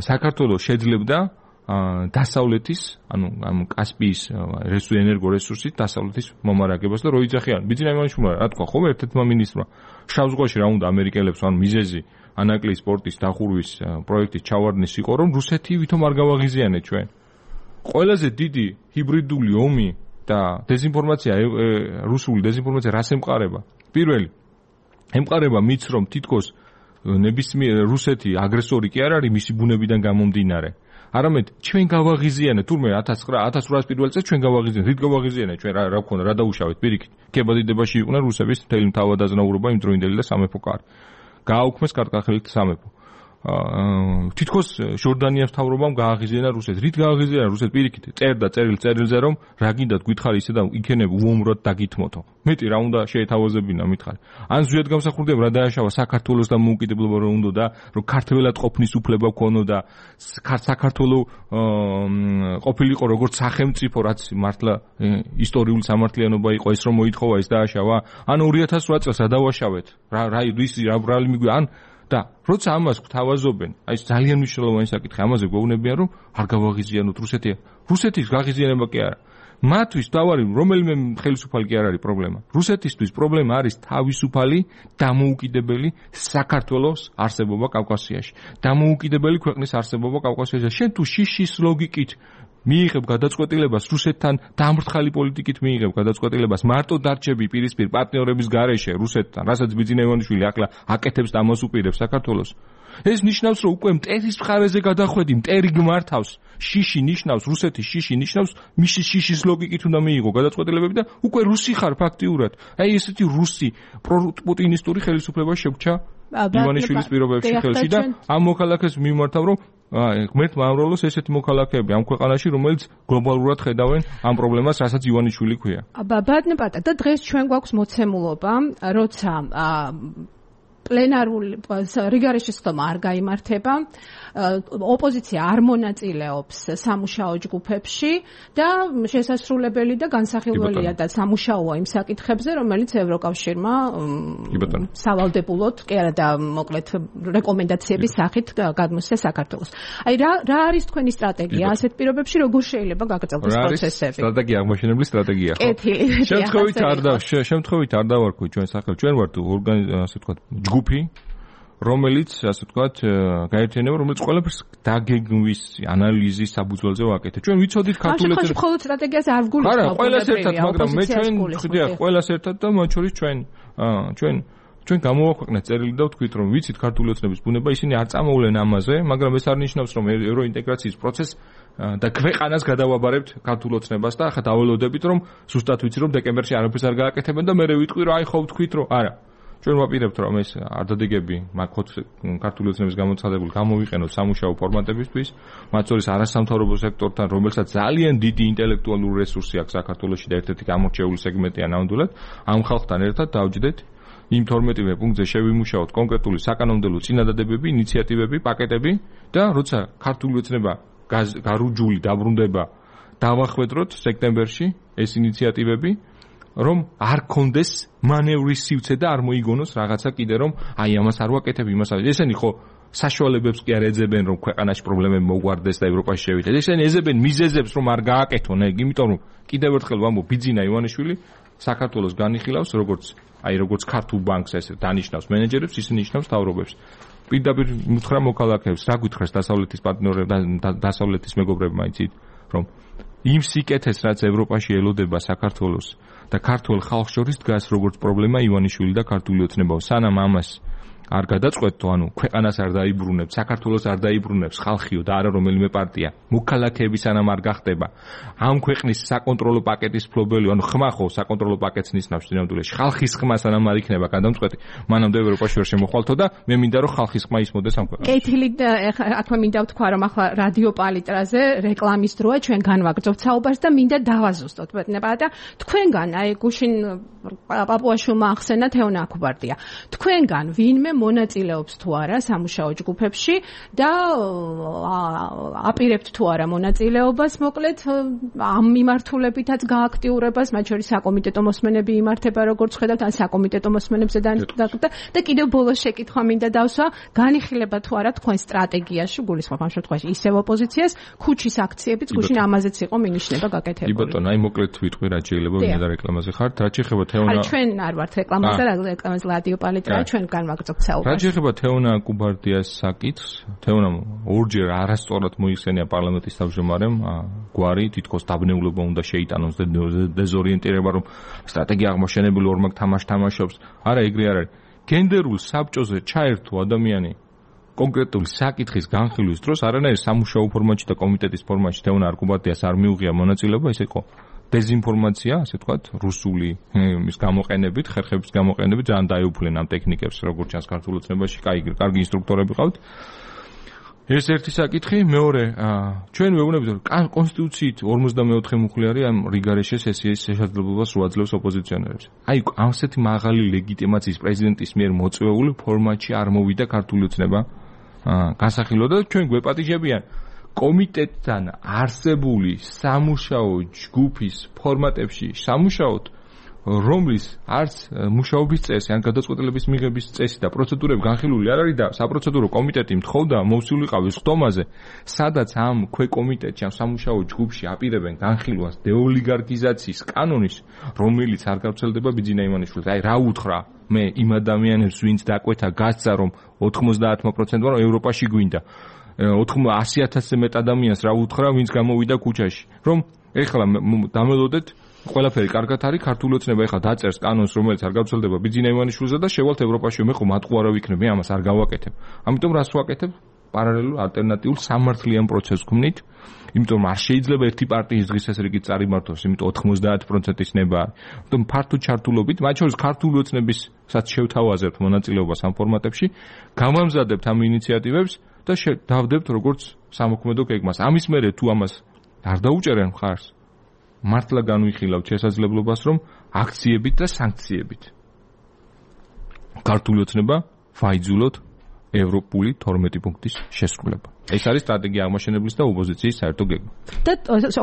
საქართველოს შეძლებდა დასავლეთის ანუ ამ კასპიის ენერგორესურსის დასავლეთის მომარაგებას და რო იძახიან ბიძინა ივანიშვილმა რა თქვა ხო ერთ-ერთმა მინისტრმა შავ ზღვაში რა უნდა ამერიკელებს ან მიზეზი ანაკლიის სპორტის დახურვის პროექტის ჩავარდნის იყო რომ რუსეთი ვითომ არ გავაღიზიანეთ ჩვენ ყველაზე დიდი ჰიბრიდული ომი და დეзинფორმაცია რუსული დეзинფორმაცია რას ემყარება პირველი ემყარება მიც რომ თითქოს ნებისმიერ რუსეთი აგრესორი კი არ არის მისი ბუნებიდან გამომდინარე არამედ ჩვენ გავაღიზიანეთ თურმე 1800 პირველ წელს ჩვენ გავაღიზიანეთ რით გავაღიზიანეთ ჩვენ რა გქონდა რა დაუშავეთ პირიქით კებადიდებაში იყვნენ რუსების მთელი მთავადაზნაურობა იმდროინდელი და სამეფო კარი გააუქმეს კარტკახელით სამეფო თითქოს ჟორდანიას მთავრობამ გააღიზიანა რუსეთი. რით გააღიზიანა რუსეთი? პირიქით წერდა წერილზე რომ რა გინდათ გითხარი ისე და იქნებ უომრად დაგითმოთო. მეტი რა უნდა შეეთავაზებინა მითხარი. ან ზუსტად გამსახურდებ რა დააშავა საქართველოს და მოუკიდებლობა რომ უნდა და რომ ქართველად ყოფნის უფლება ქონოდა საქართველოს ყოფილიყო როგორც სახელმწიფო რაც მართლა ისტორიული სამართლიანობა იყო ეს რომ მოითხოვა ეს დააშავა. ან 2008 წელს რა დავაშავეთ? რა რალი მიგვი ან და როცა ამას გვთავაზობენ, აი ძალიან მნიშვნელოვანი საკითხი, ამაზე გვეუბნებიან რომ არ გავაღიზიანოთ რუსეთი. რუსეთის გაღიზიანება კი არა. მათთვის დავარი რომელიმე ხელისუფალი კი არ არის პრობლემა. რუსეთისთვის პრობლემა არის თავისუფალი დამოუკიდებელი საქართველოს არსებობა კავკასიაში. დამოუკიდებელი ქვეყნის არსებობა კავკასიაში. შენ თუ შიშის ლოგიკით მიიღებ გადაწყვეტილებას რუსეთთან დამრთხალი პოლიტიკით მიიღებ გადაწყვეტილებას მარტო დარჩები პირისპირ პარტნიორების გარეშე რუსეთთან, რასაც ბიძინა ივანიშვილი ახლა აკეთებს და ამას უპირებს საქართველოს. ეს ნიშნავს რომ უკვე მტერის მხარეზე გადახვედი, მტერი გმართავს. შიში ნიშნავს რუსეთის შიში ნიშნავს მისის შიშის ლოგიკით უნდა მიიღო გადაწყვეტილებები და უკვე რუსი ხარ ფაქტიურად. აი ესეთი რუსი პროპუტინისტური ხელისუფლება შეგვჭა ივანიშვილის პირობებში ხელში და ამ მოქალაქეს მიმართავ რომ ღმერთმა ამრავლოს ესეთი მოქალაქეები ამ ქვეყანაში, რომელიც გლობალურად ხედავენ ამ პრობლემას, რასაც ივანიშვილი ქვია. ბატონო და დღეს ჩვენ გვაქვს მოცემულობა, როცა პლენარული რიგარეში სხდომა არ გაიმართება, ოპოზიცია არ მონაწილეობს სამუშაო ჯგუფებში და შესასრულებელი და განსახილველია და სამუშაოა იმ საკითხებზე, რომელიც ევროკავშირმა სავალდებულოდ კი არა და მოკლედ რეკომენდაციების სახით გადმოსცა საქართველოს. აი რა არის თქვენი სტრატეგია ასეთ პირობებში, როგორ შეიძლება გაგრძელდეს პროცესები? სტრატეგია აღმოჩენებული სტრატეგია ხო? შემთხვევით არ დავარქვი ჩვენ სახელს. ჩვენ ვართ ასე ვთქვათ ჯგუფი, რომელიც ასე ვთქვათ გაერთიანება, რომელიც ყველაფერს დაგეგმვის, ანალიზის საბუძველზე ვაკეთებ. ჩვენ ვიცოდით ქართულებს. ახლა მხოლოდ სტრატეგიას არ ვგულისხმობ. არა, ყველას ერთად, მაგრამ მე ჩვენ ხდია ყველას ერთად და მათ შორის ჩვენ გამოვაქვეყნეთ წერილი და ვთქვით რომ ვიცით ქართული ოცნების ბუნება, ისინი არ წამოვლენ ამაზე, მაგრამ ეს არ ნიშნავს რომ ევროინტეგრაციის პროცესს და ქვეყანას გადავაბარებთ ქართულ ოცნებას და ახლა დაველოდებით რომ ზუსტად ვიცი რომ დეკემბერში არაფერს არ გააკეთებენ და მე ვიტყვი რომ აი ხო ვთქვით რომ არა. ჩვენ ვაპირებთ რომ ეს არდადეგები მაგხოთ ქართული ოცნების გამოცხადებული გამოვიყენოთ სამუშაო ფორმატებისთვის, მათ შორის არასამთავრობო სექტორთან, რომელსაც ძალიან დიდი ინტელექტუალური რესურსი აქვს საქართველოში და ერთ-ერთი გამორჩეული სეგმენტია ნამდვილად, ამ ხალხთან ერთად დავჯდეთ იმ 12-ვე პუნქტზე შევიმუშაოთ კონკრეტული საკანონმდებლო წინადადებები, ინიციატივები, პაკეტები და როცა ქართული ოცნება გარუჯული დაბრუნდება, დავახვედროთ სექტემბერში ეს ინიციატივები, რომ არ კონდეს მანევრის სივცე და არ მოიგონოს რაღაცა კიდე რომ აი ამას არ ვაკეთებ, იმას არ. ესენი ხო საშუალებებს კი არ ეძებენ რომ ქვეყანაში პრობლემები მოგვარდეს და ევროპაში შევიდეთ. ესენი ეძებენ მიზეზებს რომ არ გააკეთონ, იმიტომ რომ კიდევ ერთხელ ვამბობ, ბიძინა ივანიშვილი საქართველოს განიხილავს როგორც ქართულ ბანკს ეს დანიშნავს მენეჯერებს, ისინი ნიშნავს მთავრობებს. პირდაპირ მითხრა მოქალაქეებს, რა გითხრეს დასავლეთის პარტნიორებს და დასავლეთის მეგობრებმა იცით, რომ იმ სიკეთეს რაც ევროპაში ელოდება საქართველოს და ქართულ ხალხს შორის დგას როგორც პრობლემა ივანიშვილი და ქართული ოცნებაო. სანამ ამას არ გადაწყვეტო, ანუ ქვეყანას არ დაიბრუნებს, საქართველოს არ დაიბრუნებს ხალხიო და არა რომელიმე პარტია. მოქალაქეები სანამ არ გახდება ამ ქვეყნის საკონტროლო პაკეტის ფლობელი, ანუ ხმა ხო საკონტროლო პაკეტს ნიშნავს ნამდვილად. ხალხის ხმა სანამ არ იქნება გადამწყვეტი, მანამდე ევროპაში ვერ შემოხვალთო და მე მინდა რომ ხალხის ხმა ისმოდეს ამ ქვეყანაში. კეთილი აქვე მინდა ვთქვა რომ ახლა რადიო პალიტრაზე რეკლამის დროა, ჩვენ განვაგრძობთ საუბარს და მინდა დავაზუსტოთ ბატონებო და თქვენგან აი გუშინ პაპუაშვილმა ახსენა თეონა აკუბარდია. თქვენგან ვინმე მონაწილეობს თუ არა სამუშაო ჯგუფებში და აპირებთ თუ არა მონაწილეობას, მოკლედ ამ მიმართულებითაც გააქტიურებას, მათ შორის საკომიტეტო მოსმენები იმართება, როგორც ხედავთ, ან საკომიტეტო მოსმენებზე და კიდევ ბოლოს შეკითხვა მინდა დავსვა, განიხილება თუ არა თქვენ სტრატეგიაში, გულისხმობ ამ შემთხვევაში ისევ ოპოზიციას, ქუჩის აქციებიც გუშინ ამაზეც იყო მინიშნება გაკეთებული. კი ბატონო, აი მოკლედ ვიტყვი რა შეიძლება ვინდა რეკლამაზე ხართ, რა შეიძლება თეონა. არა, ჩვენ არ ვართ რეკლამაზე, რეკლამაზე რადიო პალიტრაა, ჩვენ განვაგრძობთ. რა შეიძლება თეონა კუბარდიას საკითხს, თეონამ ორჯერ არასწორად მოიხსენია პარლამენტის თავმჯდომარემ გვარი თითქოს დაბნეულობა უნდა შეიტანოს და დეზორიენტირება რომ სტრატეგია აღმოჩენებული ორმაგ თამაშობს. არა, ეგრე არ არის. გენდერულ საბჭოზე ჩაერთო ადამიანი კონკრეტული საკითხის განხილვის დროს არანაირ სამუშაო ფორმატში და კომიტეტის ფორმატში თეონა კუბარდიას არ მიუღია მონაწილეობა, ეს იყო დეზინფორმაცია, ასე ვთქვათ, რუსული ის გამოყენებით, ხერხების გამოყენებით ძალიან დაეუფლენ ამ ტექნიკებს, როგორც ჩანს ქართულ ოცნებაში, კარგი ინსტრუქტორები ყავთ. ეს ერთი საკითხი, მეორე, ჩვენ ვეუბნებით, რომ კონსტიტუციით 54 მუხლი არის ამ რიგარეშე სესიის შესაძლებლობას რო აძლევს ოპოზიციონერებს. აი, ასეთი მაღალი ლეგიტიმაციის პრეზიდენტის მიერ მოწვეული ფორმატში არ მოვიდა ქართული ოცნება განსახილვად და ჩვენ გვეპატიჟებიან კომიტეტთან არსებული სამუშაო ჯგუფის ფორმატებში სამუშაოთ, რომლის არც მუშაობის წესი, ან გადაწყვეტილების მიღების წესი და პროცედურები განხილული არ არის და საპროცედურო კომიტეტი მთხოვდა მოვსულიყავი ხდომაზე, სადაც ამ ქვეკომიტეტში, ამ სამუშაო ჯგუფში აპირებენ განხილვას დეოლიგარქიზაციის კანონის, რომელიც არ გავრცელდება ბიძინა იმანიშვილს. აი, რა უთხრა მე იმ ადამიანებს, ვინც დაკვეთა გასცა, რომ 90%-მა რომ ევროპაში გვინდა. 100,000-ზე მეტ ადამიანს რა უთხრა, ვინც გამოვიდა ქუჩაში, რომ ეხლა დამელოდეთ ყველაფერი კარგად არის, ქართული ოცნება ეხლა დაწერს კანონს, რომელიც არ გავრცელდება ბიძინა იმანიშვილზე და შევალთ ევროპაში, მე ხო მათყუ არა ვიქნებ, მე ამას არ გავაკეთებ. ამიტომ რას ვაკეთებ? პარალელურ ალტერნატიულ სამართლიან პროცესს გვქნით, იმიტომ რომ არ შეიძლება ერთი პარტიის დღესასრიგით წარიმართოს, იმიტომ 90%-ის ნება არის. ამიტომ ფართო ჩართულობით, მათ შორის ქართული ოცნებისაც შევთავაზებთ მონაწილეობას ამ ფორმატებში, გამამზადებთ ამ ინიციატივებს და დავდებთ როგორც სამოქმედო გეგმას. ამის მერე თუ ამას არ დაუჭერენ მხარს, მართლა განვიხილავთ შესაძლებლობას, რომ აქციებით და სანქციებით ქართული ოცნება ვაიძულოთ ევროპული 12 პუნქტის შესრულება. ეს არის სტრატეგია აღმაშენებლის და ოპოზიციის საერთო გეგმა. და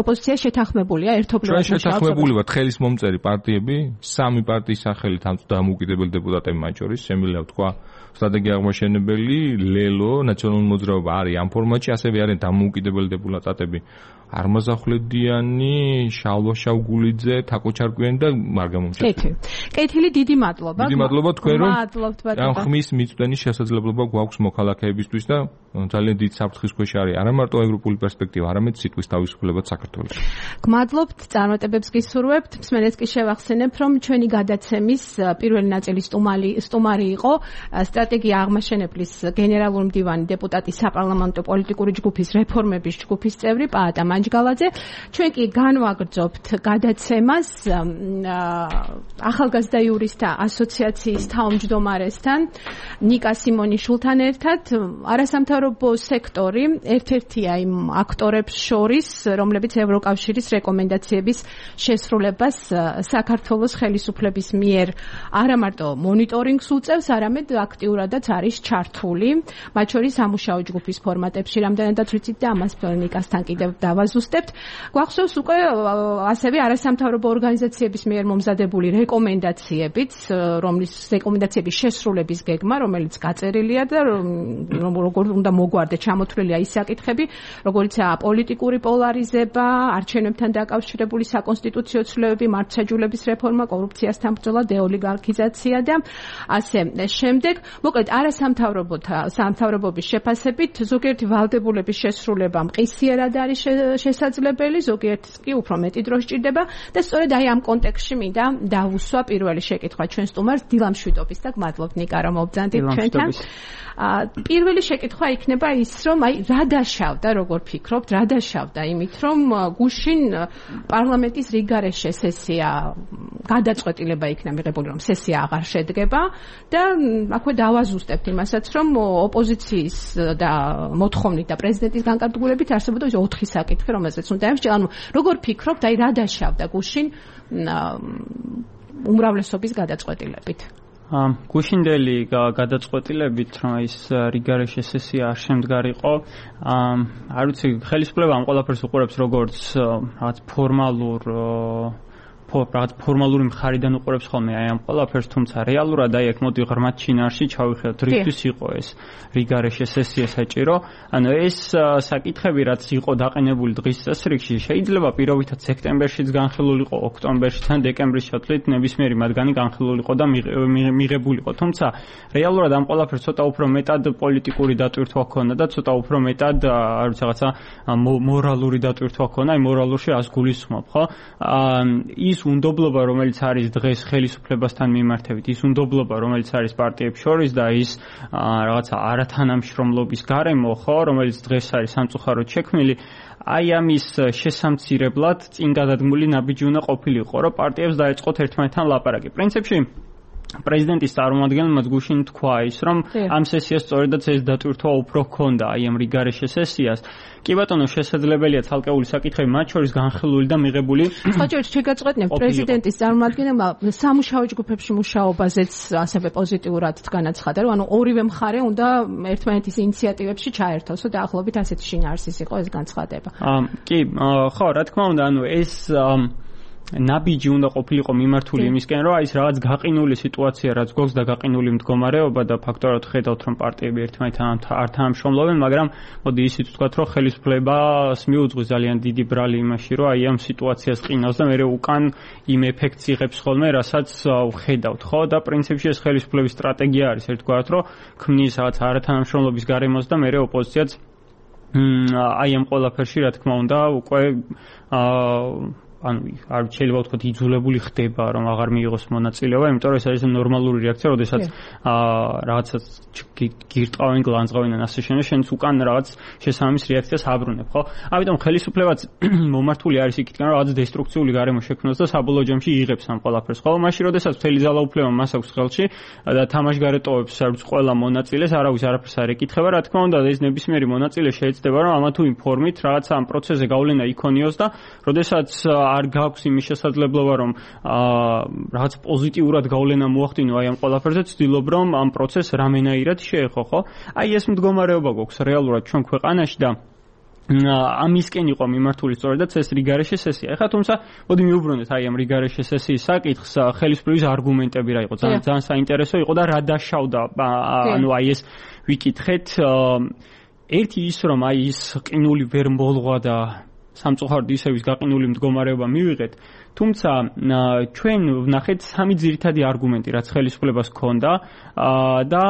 ოპოზიცია შეთანხმებულია ერთობლივად მუშაობს. შეთანხმებული ვართ ხელის მომწერი პარტიები, 3 პარტიის სახელით ამ დამოუკიდებელი დეპუტატები მათ შორის, შემიძლია ვთქვა სტრატეგია აღმაშენებელი, ლელო, ნაციონალური მოძრაობა არის ამ ფორმატში, ასევე არიან დამოუკიდებელი დეპუტატები არმაზახვლედიანი, შალვა შავგულიძე, თაკო ჩარკვიანი და მარგა მომჩაკვიანი. კეთილი, დიდი მადლობა. დიდი მადლობა თქვენ რომ ამ ხმის მიწვენის შესაძლებლობა გვაქვს მოქალაქეებისთვის და ძალიან დიდ საფრთხის ქვეშ არის არა მარტო ევროპული პერსპექტივა, არამედ სიტყვის თავისუფლებაც საქართველოში. გმადლობთ, წარმატებებს გისურვებთ. მსმენელს კი შევახსენებ, რომ ჩვენი გადაცემის პირველი ნაწილის სტუმარი იყო სტრატეგია აღმაშენებლის გენერალური მდივანი, დეპუტატი საპარლამენტო პოლიტიკური ჯგუფის რეფორმების ჯგუფის წევრი პაატა მანჯგალაძე. ჩვენ კი განვაგრძობთ გადაცემას ახალგაზრდა იურისტთა ასოციაციის თავმჯდომარესთან, ნიკა სიმონიშვილთან ერთად. არასამთავრობო სექტორი ერთ-ერთია იმ აქტორებს შორის, რომლებიც ევროკავშირის რეკომენდაციების შესრულებას საქართველოს ხელისუფლების მიერ არა მარტო მონიტორინგს უწევს, არამედ აქტიურადაც არის ჩართული, მათ შორის სამუშაო ჯგუფის ფორმატებში, რამდენადაც ვიცით და ამას ნიკასთან კიდევ დავაზუსტებთ. გვახსოვს უკვე ასევე არასამთავრობო ორგანიზაციების მიერ მომზადებული რეკომენდაციებიც, რომლის რეკომენდაციების შესრულების გეგმა, რომელიც გაწერილია და როგორ უნდა მოგვარდეთ, ჩამოთვლილია ის საკითხები, როგორიცაა პოლიტიკური პოლარიზება, არჩევნებთან დაკავშირებული საკონსტიტუციო ცვლილებები, მართლმსაჯულების რეფორმა, კორუფციასთან ბრძოლა, დეოლიგარქიზაცია და ასე შემდეგ. მოკლედ, არასამთავრობობის შეფასებით ზოგიერთი ვალდებულების შესრულება მყისიერად არის შესაძლებელი, ზოგიერთს კი უფრო მეტი დრო სჭირდება და სწორედ აი ამ კონტექსტში მინდა დავუსვა პირველი შეკითხვა ჩვენ სტუმარს დილამშვიდობის და გმადლობთ ნიკა რომ მობძანდით ჩვენთან. პირველი შეკითხვა იქნება ის, რომ აი რა დაშავდა, როგორ ფიქრობთ, რა დაშავდა იმით, რომ გუშინ პარლამენტის რიგარეშე სესია გადაწყვეტილება იქნა მიღებული, რომ სესია აღარ შედგება და აქვე დავაზუსტებთ იმასაც, რომ ოპოზიციის და მოთხოვნით და პრეზიდენტის განკარგულებით არსებობდა 4 საკითხი, რომელზეც უნდა ემსჯელო. ანუ როგორ ფიქრობთ, აი რა დაშავდა გუშინ უმრავლესობის გადაწყვეტილებით? გუშინდელი გადაწყვეტილებით, რომ ის რიგარეშე სესია არ შემდგარიყო, არ ვიცი, ხელისუფლება ამ ყველაფერს უყურებს როგორც რაღაც ფორმალური მხარიდან უყურებს ხოლმე აი ამ ყველაფერს, თუმცა რეალურად აი აქ მოდი ღრმად ჩინარში ჩავიხედოთ, რისთვის იყო ეს რიგარეშე სესია საჭირო. ანუ ეს საკითხები, რაც იყო დაყენებული დღის წესრიგში, შეიძლება პირობითად სექტემბერშიც განხილულიყო, ოქტომბერშიც ან დეკემბრის ჩათვლით ნებისმიერი მათგანი განხილულიყო და მიღებულიყო. თუმცა რეალურად ამ ყველაფერს ცოტა უფრო მეტად პოლიტიკური დატვირთვა ჰქონდა და ცოტა უფრო მეტად არ ვიცი რაღაცა მორალური დატვირთვა ჰქონდა, აი მორალურში ას გულისხმობ, ხო? ის უნდობლობა, რომელიც არის დღეს ხელისუფლებასთან მიმართებით, ის უნდობლობა, რომელიც არის პარტიებს შორის და ის რაღაცა არათანამშრომლობის გარემო, ხო, რომელიც დღეს არის სამწუხაროდ შექმნილი, აი ამის შესამცირებლად წინ გადადგმული ნაბიჯი უნდა ყოფილიყო, რომ პარტიებს დაეწყოთ ერთმანეთთან ლაპარაკი. პრინციპში პრეზიდენტის წარმომადგენელმა გუშინ თქვა ის, რომ ამ სესიას სწორედაც ეს დატვირთვა უფრო ჰქონდა, აი ამ რიგარეშე სესიას. კი ბატონო, შესაძლებელია ცალკეული საკითხები, მათ შორის განხილული და მიღებული. ხოჭოჩ, შეგაწყვეტნებ პრეზიდენტის წარმომადგენელმა სამუშაო ჯგუფებში მუშაობაზეც ასევე პოზიტიურად განაცხადა, რომ ანუ ორივე მხარე უნდა ერთმანეთის ინიციატივებში ჩაერთოსო და ახლობით ასეთი შინაარსის იყო ეს განცხადება. კი, ხო, რა თქმა უნდა, ანუ ეს ნაბიჯი უნდა ყოფილიყო მიმართული იმისკენ, რომ აი ეს რაღაც გაყინული სიტუაცია, რაც გვაქვს და გაყინული მდგომარეობა და ფაქტორად ხედავთ, რომ პარტიები ერთმანეთთან არ თანამშრომლობენ, მაგრამ მოდი ისიც ვთქვათ, რომ ხელისუფლებას მიუძღვის ძალიან დიდი ბრალი იმაში, რომ აი ამ სიტუაციას ყინავს და მეორე უკან იმ ეფექტს იღებს ხოლმე, რასაც ვხედავთ, ხო? და პრინციპში ეს ხელისუფლების სტრატეგია არის, ერთგვარად, რომ ქმნის რაღაც არათანამშრომლობის გარემოს და მეორე ოპოზიციაც აი ამ ყველაფერში, რა თქმა უნდა, უკვე ანუ არ შეიძლება ვთქვათ იძულებული ხდება რომ აღარ მიიღოს მონაწილეობა, იმიტომ რომ ეს არის ნორმალური რეაქცია, როდესაც რაღაცას გირტყავენ, გლანძღავენ ან ასე შემდეგ, შენც უკან რაღაც შესაბამის რეაქციას აბრუნებ, ხო? ამიტომ ხელისუფლებაც მომართული არის იქითკენ, რომ რაღაც დესტრუქციული გარემო შექმნას და საბოლოო ჯამში იღებს ამ ყველაფერს, ხო? მაშინ როდესაც მთელი ძალაუფლება მას აქვს ხელში და თამაშგარეტოებს არც ყველა მონაწილეს არავის არაფერს არ ეკითხება, რა თქმა უნდა, ეს ნებისმიერი მონაწილე შეეცდება, რომ ამა თუ იმ ფორმით რაღაც ამ პროცესზე გავლენა იქონიოს და როდესაც არ გაქვს იმის შესაძლებლობა, რომ რაღაც პოზიტიურად გავლენა მოახდინო აი ამ ყველაფერზე, ცდილობ რომ ამ პროცესს რამენაირად შეეხო, ხო? აი ეს მდგომარეობა გვაქვს რეალურად ჩვენ ქვეყანაში და ამისკენ იყო მიმართული სწორედაც ეს რიგარეშე სესია. ეხლა თუმცა მოდი მივუბრუნდეთ აი ამ რიგარეშე სესიის საკითხს, ხელისუფლების არგუმენტები რა იყო, ძალიან საინტერესო იყო და რა დაშავდა, ანუ აი ეს ვიკითხეთ, ერთი ის რომ აი ის ყინული ვერ მოლღვა და სამწუხაროდ ისევ ის გაყინული მდგომარეობა მივიღეთ, თუმცა ჩვენ ვნახეთ სამი ძირითადი არგუმენტი, რაც ხელისუფლებას ჰქონდა და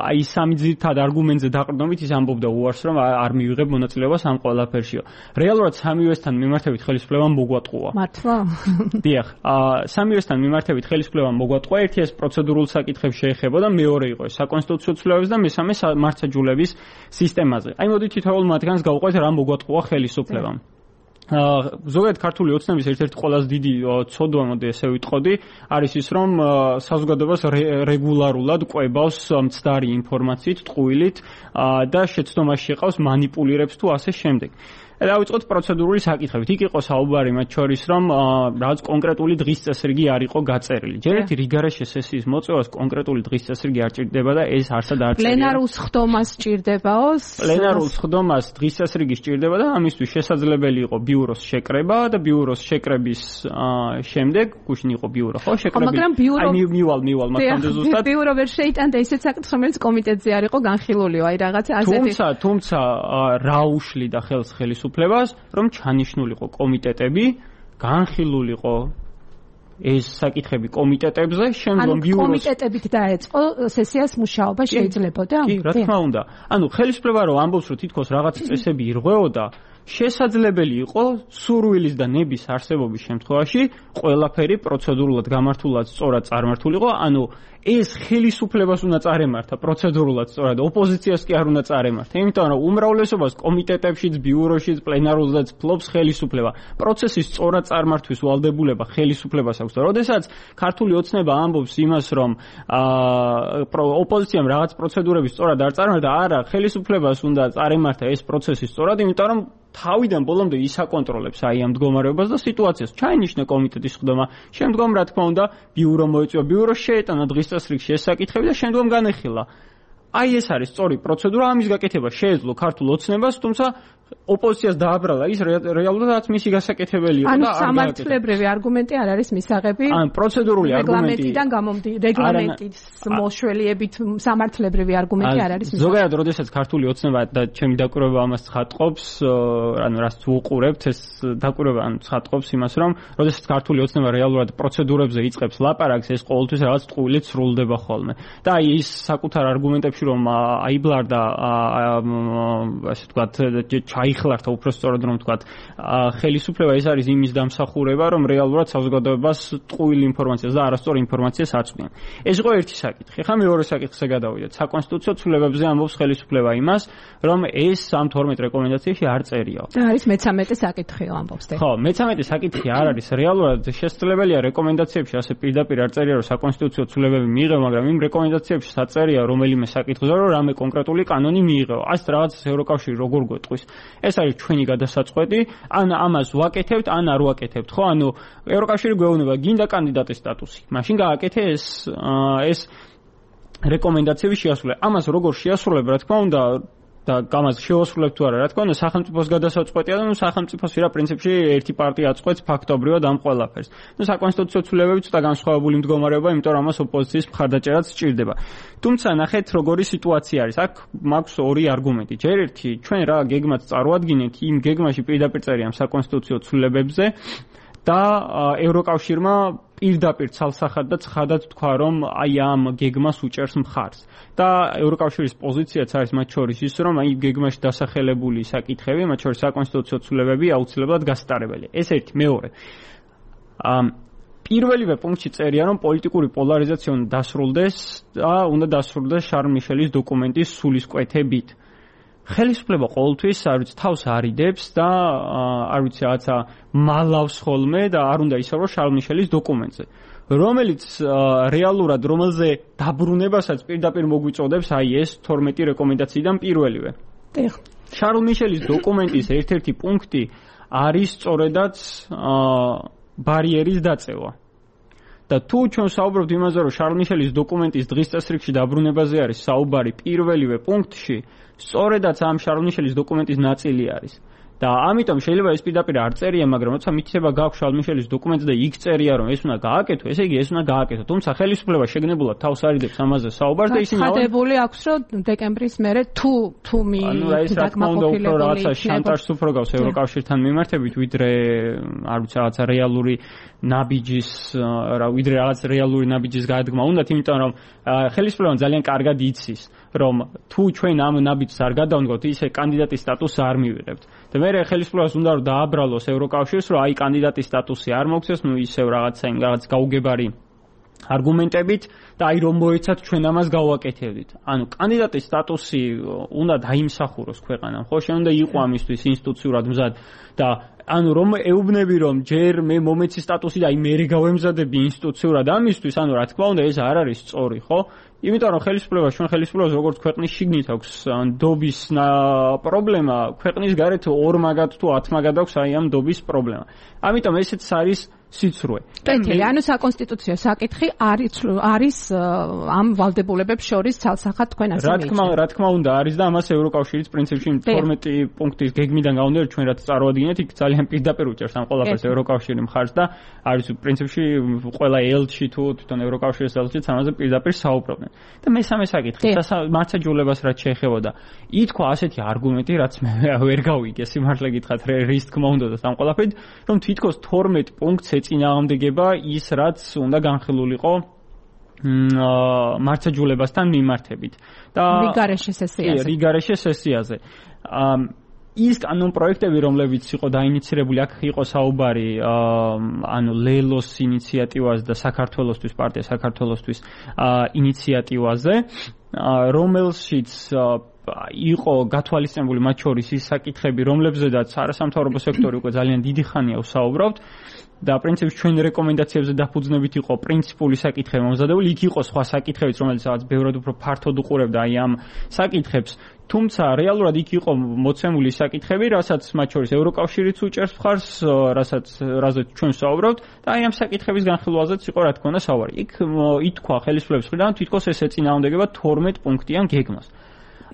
აი სამი ძირითადი არგუმენტზე დაყრდნობით ის ამბობდა უარს, რომ არ მივიღებ მონაწილეობას ამ ყველაფერშიო. რეალურად სამივესთან მიმართებით ხელისუფლებამ მოგვატყუა. მართლა? დიახ, სამივესთან მიმართებით ხელისუფლებამ მოგვატყუა, ერთი ეს პროცედურულ საკითხებს შეეხებოდა, მეორე იყო ეს საკონსტიტუციო ცვლილებების და მესამე მართლმსაჯულების სისტემაზე. აი მოდი თითოეულ მათგანს გავუყვეთ რა მოგვატყუა ხელისუფლებამ. ზოგადად ქართული ოცნების ერთ-ერთი ყველაზე დიდი ცოდვა, მოდი ესე ვიტყოდი, არის ის, რომ საზოგადოებას რეგულარულად კვებავს მცდარი ინფორმაციით, ტყუილით და შეცდომაში შეყავს მანიპულირებს თუ ასე შემდეგ. დავიწყოთ პროცედურული საკითხებით. იქ იყო საუბარი მათ შორის, რომ რაღაც კონკრეტული დღის წესრიგი არ იყო გაწერილი. ჯერ ერთი რიგარეშე სესიის მოწვევას კონკრეტული დღის წესრიგი არ ჭირდება და ეს არსად არ წერია. პლენარულ სხდომას ჭირდებაო? პლენარულ სხდომას დღის წესრიგი ჭირდება და ამისთვის შესაძლებელი იყო ბიუროს შეკრება და ბიუროს შეკრების შემდეგ გუშინ იყო ბიურო, ხო? შეკრები. მაგრამ ბიურო აი მივალ მათამდე ზუსტად. ბიურო ვერ შეიტანდა ისეთ საკითხს, რომელიც კომიტეტზე არ იყო განხილულიო, აი რაღაცა ასეთი. თუმცა რა უშლიდა ხელს ხელისუფლებას, რომ ჩანიშნულიყო კომიტეტები, განხილულიყო ეს საკითხები კომიტეტებზე, შემდგომ ბიუროს კომიტეტებით დაეწყო სესიას მუშაობა შეიძლებოდა? კი, რა თქმა უნდა. ანუ ხელისუფლება რომ ამბობს, რომ თითქოს რაღაც წესები ირღვეოდა, შესაძლებელი იყო სურვილის და ნების არსებობის შემთხვევაში ყველაფერი პროცედურულად გამართულად სწორად წარმართულიყო, ანუ ეს ხელისუფლებას უნდა წარემართა პროცედურულად სწორად, ოპოზიციას კი არ უნდა წარემართა, იმიტომ რომ უმრავლესობას კომიტეტებშიც, ბიუროშიც, პლენარულზეც ფლობს ხელისუფლება. პროცესის სწორად წარმართვის ვალდებულება ხელისუფლებას აქვს და როდესაც ქართული ოცნება ამბობს იმას, რომ ოპოზიციამ რაღაც პროცედურები სწორად არ წარმართა, არა, ხელისუფლებას უნდა წარემართა ეს პროცესი სწორად, იმიტომ რომ თავიდან ბოლომდე ისაკონტროლებს აი ამ მდგომარეობას და სიტუაციას. ჩაინიშნა კომიტეტის ხდომა, შემდგომ რა თქმა უნდა ბიურო მოიწვია, ბიურო შეეტანა დღის წესრიგში ეს საკითხები და შემდგომ განეხილა. აი ეს არის სწორი პროცედურა, ამის გაკეთება შეეძლო ქართულ ოცნებას, თუმცა ოპოზიციას დააბრალა ის რეალურადაც მისი გასაკეთებელი იყო და არ სამართლებრივი არგუმენტი არ არის მისაღები. ან პროცედურული არგუმენტი რეგლამენტის მოშველიებით სამართლებრივი არგუმენტი არ არის მისაღები. ზოგადად, როდესაც ქართული ოცნება და ჩემი დაკვირვება ამას ცხადყოფს, ანუ რაც უყურებთ, ეს დაკვირვება ცხადყოფს იმას, რომ როდესაც ქართული ოცნება რეალურად პროცედურებზე იწყებს ლაპარაკს, ეს ყოველთვის რაღაც ტყუილით სრულდება ხოლმე. და აი ის საკუთარ არგუმენტებში რომ აიბლარდა ასე ვთქვათ ჩაიხლართა უფრო სწორად რომ ვთქვათ ხელისუფლება ეს არის იმის დამსახურება რომ რეალურად საზოგადოებას ტყუილ ინფორმაციას და არასწორ ინფორმაციას აწვდიან. ეს იყო ერთი საკითხი. ხა მეორე საკითხზე გადავიდეთ. საკონსტიტუციო ცვლილებებზე ამბობს ხელისუფლება იმას რომ ეს ამ 12 რეკომენდაციაში არ წერიაო. და არის მე-13 საკითხი ამბობს. ხო, მე-13 საკითხი არ არის. რეალურად შესაძლებელია რეკომენდაციებში ასე პირდაპირ არ წერია რომ საკონსტიტუციო ცვლილებები მიიღო, მაგრამ იმ რეკომენდაციებში საწერია რომელიმე საკითხზე რომ რამე კონკრეტული კანონი მიიღო. ასეთ რაღაცას ევროკავშირი როგორ გვეტყვის? ეს არის ჩვენი გადასაწყვეტი, ან ამას ვაკეთებთ, ან არ ვაკეთებთ, ხო? ანუ ევროკავშირი გვეუბნება, გინდა კანდიდატის სტატუსი. მაშინ გააკეთე ეს რეკომენდაციები შეასრულე. ამას როგორ შეასრულებ, რა თქმა უნდა, და გამას შეასრულებ თუ არა, რა თქმა უნდა, სახელმწიფოს გადასაწყვეტია და სახელმწიფოს ვირა პრინციპში ერთი პარტია აწყვეტს ფაქტობრივად ამ ყველაფერს. საკონსტიტუციო ცვლილებები ცოტა განსხვავებული მდგომარეობა, იმიტომ რომ ამას ოპოზიციის მხარდაჭერაც სჭირდება. თუმცა ნახეთ როგორი სიტუაცია არის. აქ მაქვს ორი არგუმენტი. ჯერ ერთი, ჩვენ რა გეგმაც წარუადგინეთ, იმ გეგმაში პირდაპირ წერია ამ საკონსტიტუციო ცვლილებებზე და ევროკავშირმა პირდაპირ ცალსახად და ცხადად თქვა, რომ აი ამ გეგმას უჭერს მხარს. და ევროკავშირის პოზიციაც არის მათ შორის ის, რომ აი გეგმაში დასახელებული საკითხები, მათ შორის საკონსტიტუციო ცვლილებები აუცილებლად გასტარებელია. ეს ერთი, მეორე. პირველივე პუნქტში წერია, რომ პოლიტიკური პოლარიზაცია უნდა დასრულდეს და უნდა დასრულდეს შარლ მიშელის დოკუმენტის სულისკვეთებით. ხელისუფლება ყოველთვის არ ვიცი თავს არიდებს და არ ვიცი რაღაცა მალავს ხოლმე და არ უნდა ისაუბროს შარლ მიშელის დოკუმენტზე, რომელიც რეალურად რომელზე დაბრუნებასაც პირდაპირ მოგვიწოდებს აი ეს 12 რეკომენდაციიდან პირველივე. შარლ მიშელის დოკუმენტის ერთ-ერთი პუნქტი არის სწორედაც ბარიერის დაწევა. და თუ ჩვენ საუბრობთ იმაზე, რომ შარლ მიშელის დოკუმენტის დღის წესრიგში დაბრუნებაზე არის საუბარი პირველივე პუნქტში, სწორედაც ამ შარლ მიშელის დოკუმენტის ნაწილი არის. და ამიტომ შეიძლება ეს პირდაპირ არ წერია, მაგრამ როცა მითითება გაქვს შარლ მიშელის დოკუმენტზე და იქ წერია, რომ ეს უნდა გააკეთო, ესე იგი ეს უნდა გააკეთო. თუმცა ხელისუფლება შეგნებულად თავს არიდებს ამაზე საუბარს და ისინი ხადებული აქვს, რომ დეკემბრის მერე თუ დაკმაყოფილებული რაღაცა შანტაჟს უფრო გავს ევროკავშირთან მიმართებით, ვიდრე არ ვიცი რაღაცა რეალური ნაბიჯის ვიდრე რაღაც რეალური ნაბიჯის გადადგმა უნდათ, იმიტომ რომ ხელისუფლებამ ძალიან კარგად იცის, რომ თუ ჩვენ ამ ნაბიჯს არ გადავდგოთ, ისე კანდიდატის სტატუსს არ მივიღებთ. და მე ხელისუფლებას უნდა რომ დააბრალოს ევროკავშირს, რომ აი კანდიდატის სტატუსი არ მოგცეს, ნუ ისევ რაღაც გაუგებარი არგუმენტებით და აი რომ მოეცათ ჩვენ ამას გავაკეთებდით. ანუ კანდიდატის სტატუსი უნდა დაიმსახუროს ქვეყანამ, ხო? შენ უნდა იყო ამისთვის ინსტიტუციურად მზად და ანუ რომ ეუბნები რომ ჯერ მე მომეცი სტატუსი და აი მე გავემზადები ინსტიტუციურად ამისთვის, ანუ რა თქმა უნდა ეს არ არის სწორი, ხო? იმიტომ რომ ჩვენ ხელისუფლებას როგორც ქვეყნის შიგნით აქვს დობის პრობლემა, ქვეყნის გარეთ 2 მაგად თუ 10 მაგად აქვს აი ამ დობის პრობლემა. ამიტომ ესეც არის სიცრუე. კეთილი, ანუ საკონსტიტუციო საკითხი არის ამ ვალდებულებებს შორის ცალსახად თქვენ ასე მიიჩნევთ. რა თქმა უნდა არის და ამას ევროკავშირის პრინციპში 12 პუნქტის გეგმიდან გამომდინარე ჩვენ რაც წარუადგინეთ, იქ ძალიან პირდაპირ უჭერს ამ ყველაფერს ევროკავშირი მხარს და არის პრინციპში ყველა ელჩი თუ თვითონ ევროკავშირის ელჩიც ამაზე პირდაპირ საუბრობენ. და მესამე საკითხი, მართლმსაჯულებას რაც შეეხებოდა. ითქვა ასეთი არგუმენტი, რაც მე ვერ გავიგე, სიმართლე გითხრათ, რის თქმა უნდა და ამ ყველაფერით, რომ თითქოს 12 პუნქტს ეწინააღმდეგება ის, რაც უნდა განხილულიყო მართლმსაჯულებასთან მიმართებით. და რიგარეშე სესიაზე. ის კანონ პროექტები, რომლებიც იყო დაინიცირებული, აქ იყო საუბარი ანუ ლელოს ინიციატივაზე და საქართველოსთვის პარტია საქართველოსთვის ინიციატივაზე, რომელშიც იყო გათვალისწინებული მათ შორის ის საკითხები, რომლებზედაც არასამთავრობო სექტორი უკვე ძალიან დიდი ხანია ვსაუბრობთ და პრინციპში ჩვენ რეკომენდაციებზე დაფუძნებით იყო პრინციპული საკითხები მომზადებული, იქ იყო სხვა საკითხებიც, რომელიც რაღაც ბევრად უფრო ფართოდ უყურებდა აი ამ საკითხებს. თუმცა რეალურად იქ იყო მოცემული საკითხები, რასაც მათ შორის ევროკავშირიც უჭერს მხარს, რაზეც ჩვენ ვსაუბრობთ და აი ამ საკითხების განხილვაზეც იყო რა თქმა უნდა საუბარი. იქ ითქვა ხელისუფლების მხრიდან თითქოს ეს ეწინააღმდეგება 12 პუნქტიან გეგმას.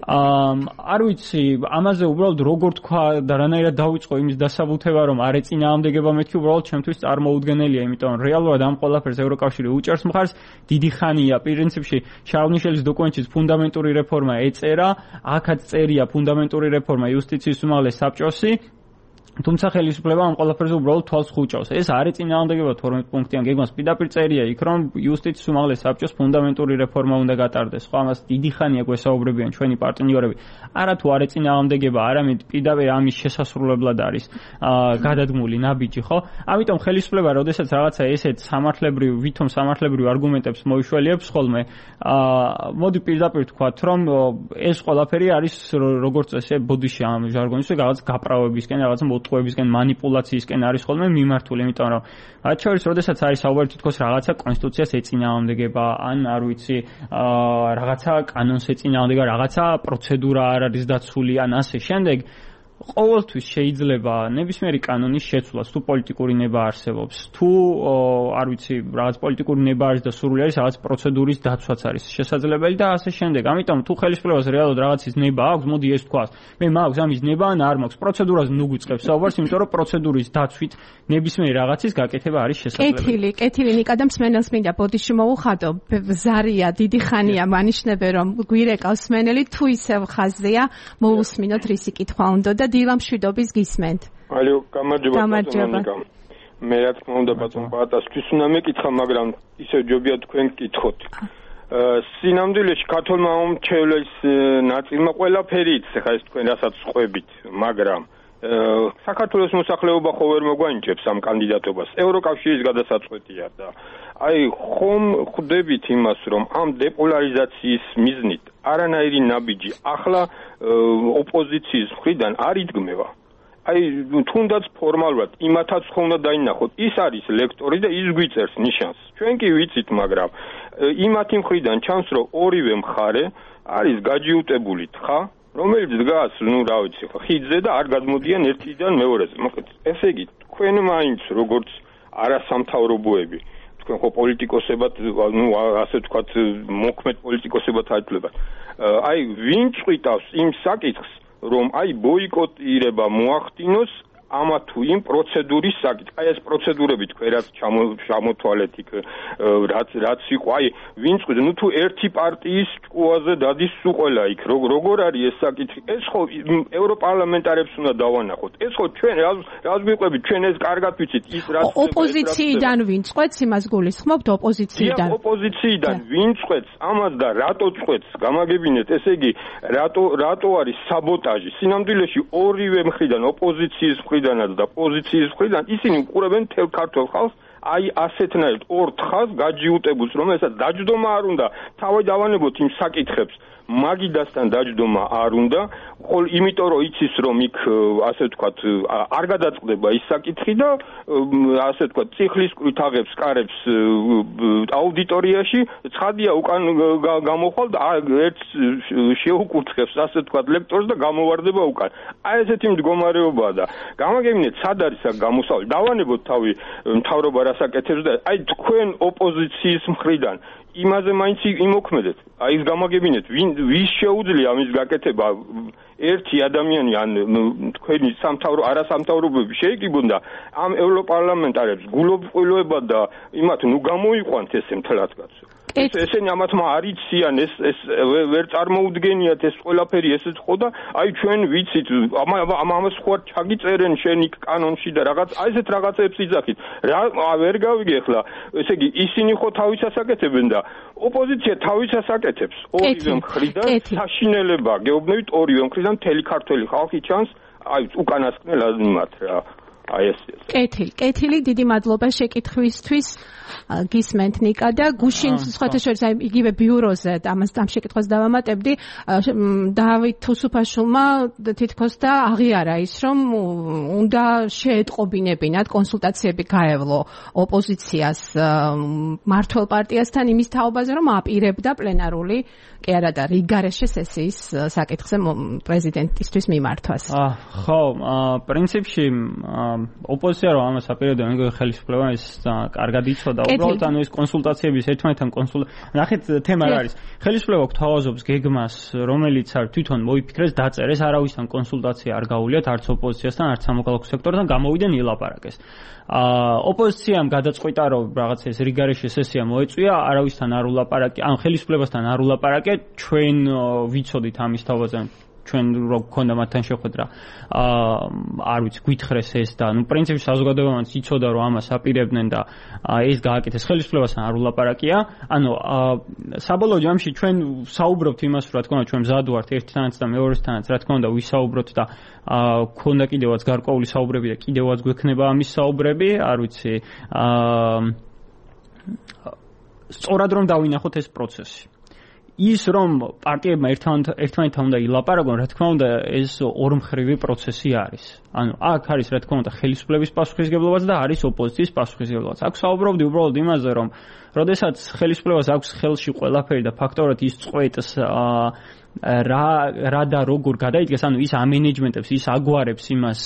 არ ვიცი, ამაზე უბრალოდ როგორ თქვა და რანაირად დაიწყო იმის დასაბუთება, რომ არ ეწინააღმდეგება მეთქი, უბრალოდ ჩემთვის წარმოუდგენელია, იმიტომ რომ რეალურად ამ ყველაფერს ევროკავშირი უჭერს მხარს, დიდი ხანია პრინციპში შარლ მიშელის დოკუმენტშიც ფუნდამენტური რეფორმა ეწერა, აქაც წერია ფუნდამენტური რეფორმა იუსტიციის უმაღლეს საბჭოსი თუმცა ხელისუფლება ამ ყველაფერზე უბრალოდ თვალს ხუჭავს. ეს არის წინააღმდეგობა 12 პუნქტიან გეგმას. პირდაპირ წერია იქ, რომ იუსტიციის უმაღლეს საბჭოს ფუნდამენტური რეფორმა უნდა გატარდეს. ხო, ამას დიდი ხანია გვესაუბრებიან ჩვენი პარტნიორები. არა თუ არის წინააღმდეგობა, არამედ პირდაპირ ამის შესასრულებლად არის გადადგმული ნაბიჯი, ხო? ამიტომ ხელისუფლება, როდესაც რაღაცა ესეთ ვითომ სამართლებრივ არგუმენტებს მოიშველიებს ხოლმე, მოდი პირდაპირ ვთქვათ, რომ ეს ყველაფერი არის როგორც ესე ბოდიში ამ ჟარგონის რაღაც გაправებისკენ, რაღაც ტყვებისკენ მანიპულაციისკენ არის ხოლმე მიმართული, იმიტომ რომ მათ შორის როდესაც არის საუბარი თითქოს რაღაცა კონსტიტუციას ეწინააღმდეგება, ან არ ვიცი, რაღაცა კანონს ეწინააღმდეგება, რაღაცა პროცედურა არ არის დაცული, ან ასე შემდეგ, ყოველთვის შეიძლება ნებისმიერი კანონის შეცვლაც, თუ პოლიტიკური ნება არსებობს, თუ არ ვიცი, რაღაც პოლიტიკური ნება არის და სურვილი არის, რაღაც პროცედურის დაცვაც არის შესაძლებელი და ასე შემდეგ. ამიტომ თუ ხელისუფლებას რეალურად რაღაცის ნება აქვს, მოდი ეს თქვას. მე მაქვს ამის ნება ან არ მაქვს. პროცედურაზე ნუ გვიწყებს საუბარს, იმიტომ რომ პროცედურის დაცვით ნებისმიერი რაღაცის გაკეთება არის შესაძლებელი. კეთილი ნიკა და მსმენელს მინდა ბოდიში მოუხადო. ზარია, დიდი ხანია მანიშნებე რომ გვირეკავს მსმენელი, თუ ისევ ხაზია, მოусმინოთ რისი კითხვა უნდა და დილამშვიდობის გისმენთ. ალო, გამარჯობა. მე რა თქმა უნდა ბატონ პატასთვის უნდა მეკითხა, მაგრამ ისევ ჯობია თქვენ გკითხოთ. სინამდვილეში ქართულმა მომრჩევლის ნაწილმა ყველაფერი იცის, ხა ეს თქვენ რასაც ყვებით, მაგრამ საქართველოს მოსახლეობა ხო ვერ მოგვანიჭებს ამ კანდიდატობას. ევროკავშირის გადასაწყვეტია და აი ხომ ხვდებით იმას, რომ ამ დეპოლარიზაციის მიზნით არანაირი ნაბიჯი ახლა ოპოზიციის მხრიდან არ იდგმება. აი თუნდაც ფორმალურად იმათაც ხო უნდა დაინახოთ. ის არის ლექტორი და ის გვიწერს ნიშანს. ჩვენ კი ვიცით, მაგრამ იმათი მხრიდან ჩანს, რომ ორივე მხარე არის გაჯიუტებული თხა, რომელიც დგას, რა ვიცი, ხიდზე და არ გადმოდიან ერთიდან მეორეზე. მოკლედ, ესე იგი, თქვენ მაინც როგორც არასამთავრობოები, თქვენ ხო პოლიტიკოსებად, ასე ვთქვათ, მოქმედ პოლიტიკოსებად აიძულებათ. აი, ვინ წვიტავს იმ საკითხს, რომ აი ბოიკოტირება მოახდინოს ამა თუ იმ პროცედურის საკითხი. აი ეს პროცედურები თქვენ რაც ჩამოთვალეთ იქ, რაც იყო, აი ვინ წვიდა, ნუ თუ ერთი პარტიის ჭკუაზე დადის სუყელა იქ, როგორ არის ეს საკითხი? ეს ხო ევროპარლამენტარებს უნდა დავანახოთ. ეს ხო ჩვენ რას გვიყვებით, ჩვენ ეს კარგად ვიცით, ის რაც ოპოზიციიდან ვინ წვეთს, იმას გულისხმობთ ოპოზიციიდან. ოპოზიციიდან ვინ წვეთს, ამას და რატო წვეთს, გამაგებინეთ, ესე იგი, რატო არის საბოტაჟი? სინამდვილეში ორივე მხრიდან, ოპოზიციის მხრიდანაც და პოზიციის მხრიდან ისინი უყურებენ მთელ ქართულ ხალხს, აი ასეთნაირად ორ თხას გაჯიუტებულს, რომელსაც დაჯდომა არ უნდა, თავი დავანებოთ იმ საკითხებს, მაგიდასთან დაჯდომა არ უნდა, ხოლ იმიტომ რომ იცის რომ იქ ასე ვთქვათ არ გადაწყდება ის საკითხი და ასე ვთქვათ ციხლისკვრით აღებს კარებს აუდიტორიაში, ცხადია უკან გამოხვალ და ერთ შეუკურთხებს ასე ვთქვათ ლექტორს და გამოვარდება უკან. აი ესეთი მდგომარეობაა და გამაგებინეთ სად არის აქ გამოსავალი. დავანებოთ თავი მთავრობა რასაკეთებს და აი თქვენ ოპოზიციის მხრიდან იმაზე მაინც იმოქმედეთ. აი ის გამაგებინეთ, ვის შეუძლია ამის გაკეთება? ერთი ადამიანი ან თქვენი არასამთავრობოები შეიკიბონ და ამ ევროპარლამენტარებს გულობყვილოება და იმათ ნუ გამოიყვანთ ესე მთლად კაცო. ესენი ამათმა არ იციან, ეს ვერ წარმოუდგენიათ ეს ყველაფერი ესეც ხო და აი ჩვენ ვიცით ამას ხო არ ჩაგიწერენ შენ იქ კანონში და რაღაც აი ესეთ რაღაცებს იძახით. ვერ გავიგე ახლა, ესე იგი ისინი ხო თავისას აკეთებენ და ოპოზიცია თავისას აკეთებს. ორივე მხრიდან საშინელება გეუბნებით, ორივე მხრიდან მთელი ქართველი ხალხი ჩანს, აი უკანასკნელად იმათ რა. აი ეს. კეთილი, დიდი მადლობა შეკითხვისთვის. გისმენთ ნიკა და გუშინ სხვათა შორის აი იგივე ბიუროზე ამას ამ შეკითხვას დავამატებდი. დავით თუსუფაშვილმა თითქოს და აღიარა ის, რომ უნდა შეეტყობინებინათ კონსულტაციები გაევლო ოპოზიციას მმართველ პარტიასთან იმის თაობაზე, რომ აპირებდა პლენარული კი არა და რიგარეშე სესიის საკითხზე პრეზიდენტისთვის მიმართვას. ხო, პრინციპში ოპოზიცია რომ ამას აპირებდა, მეგონი ხელისუფლება ის კარგად იცოდა. უბრალოდ ანუ ეს კონსულტაციების ერთმანეთთან ნახეთ თემა რა არის. ხელისუფლება გვთავაზობს გეგმას, რომელიც არ თვითონ მოიფიქრეს, დაწერეს, არავისთან კონსულტაცია არ გაუვლიათ, არც ოპოზიციასთან, არც სამოქალაქო სექტორთან, გამოვიდნენ ილაპარაკეს. ოპოზიციამ გადაწყვიტა, რომ რაღაც ეს რიგარეშე სესია მოეწვია, არავისთან არ ულაპარაკე, ან ხელისუფლებასთან არ ულაპარაკე, ჩვენ ვიცოდით ამის თავაზე. ჩვენ რო გქონდა მათთან შეხვედრა არ ვიცი გვითხრეს ეს და პრინციპში საზოგადოებამ იცოდა რომ ამას აპირებდნენ და ეს გააკეთეს ხელისუფლებასთან არ ულაპარაკია საბოლოო ჯამში ჩვენ საუბრობთ იმას რა თქმა უნდა ჩვენ მზად ვართ ერთთანაც და მეორესთანაც რა თქმა უნდა ვისაუბროთ და გქონდა კიდევაც გარკვეული საუბრები და კიდევაც გვექნება ამის საუბრები არ ვიცი სწორად რომ დავინახოთ ეს პროცესი ის რომ პარტიებმა ერთმანეთთან უნდა ილაპარაკონ, რა თქმა უნდა, ეს ორმხრივი პროცესი არის. ანუ აქ არის რა თქმა უნდა ხელისუფლების პასუხისგებლობაც და არის ოპოზიციის პასუხისგებლობაც. აქ საუბრობდი უბრალოდ იმაზე, რომ როდესაც ხელისუფლებას აქვს ხელში ყველაფერი და ფაქტორად ის წყვეტს რა და როგორ გადაიდგეს, ანუ ის ამენეჯმენტებს, ის აგვარებს იმას,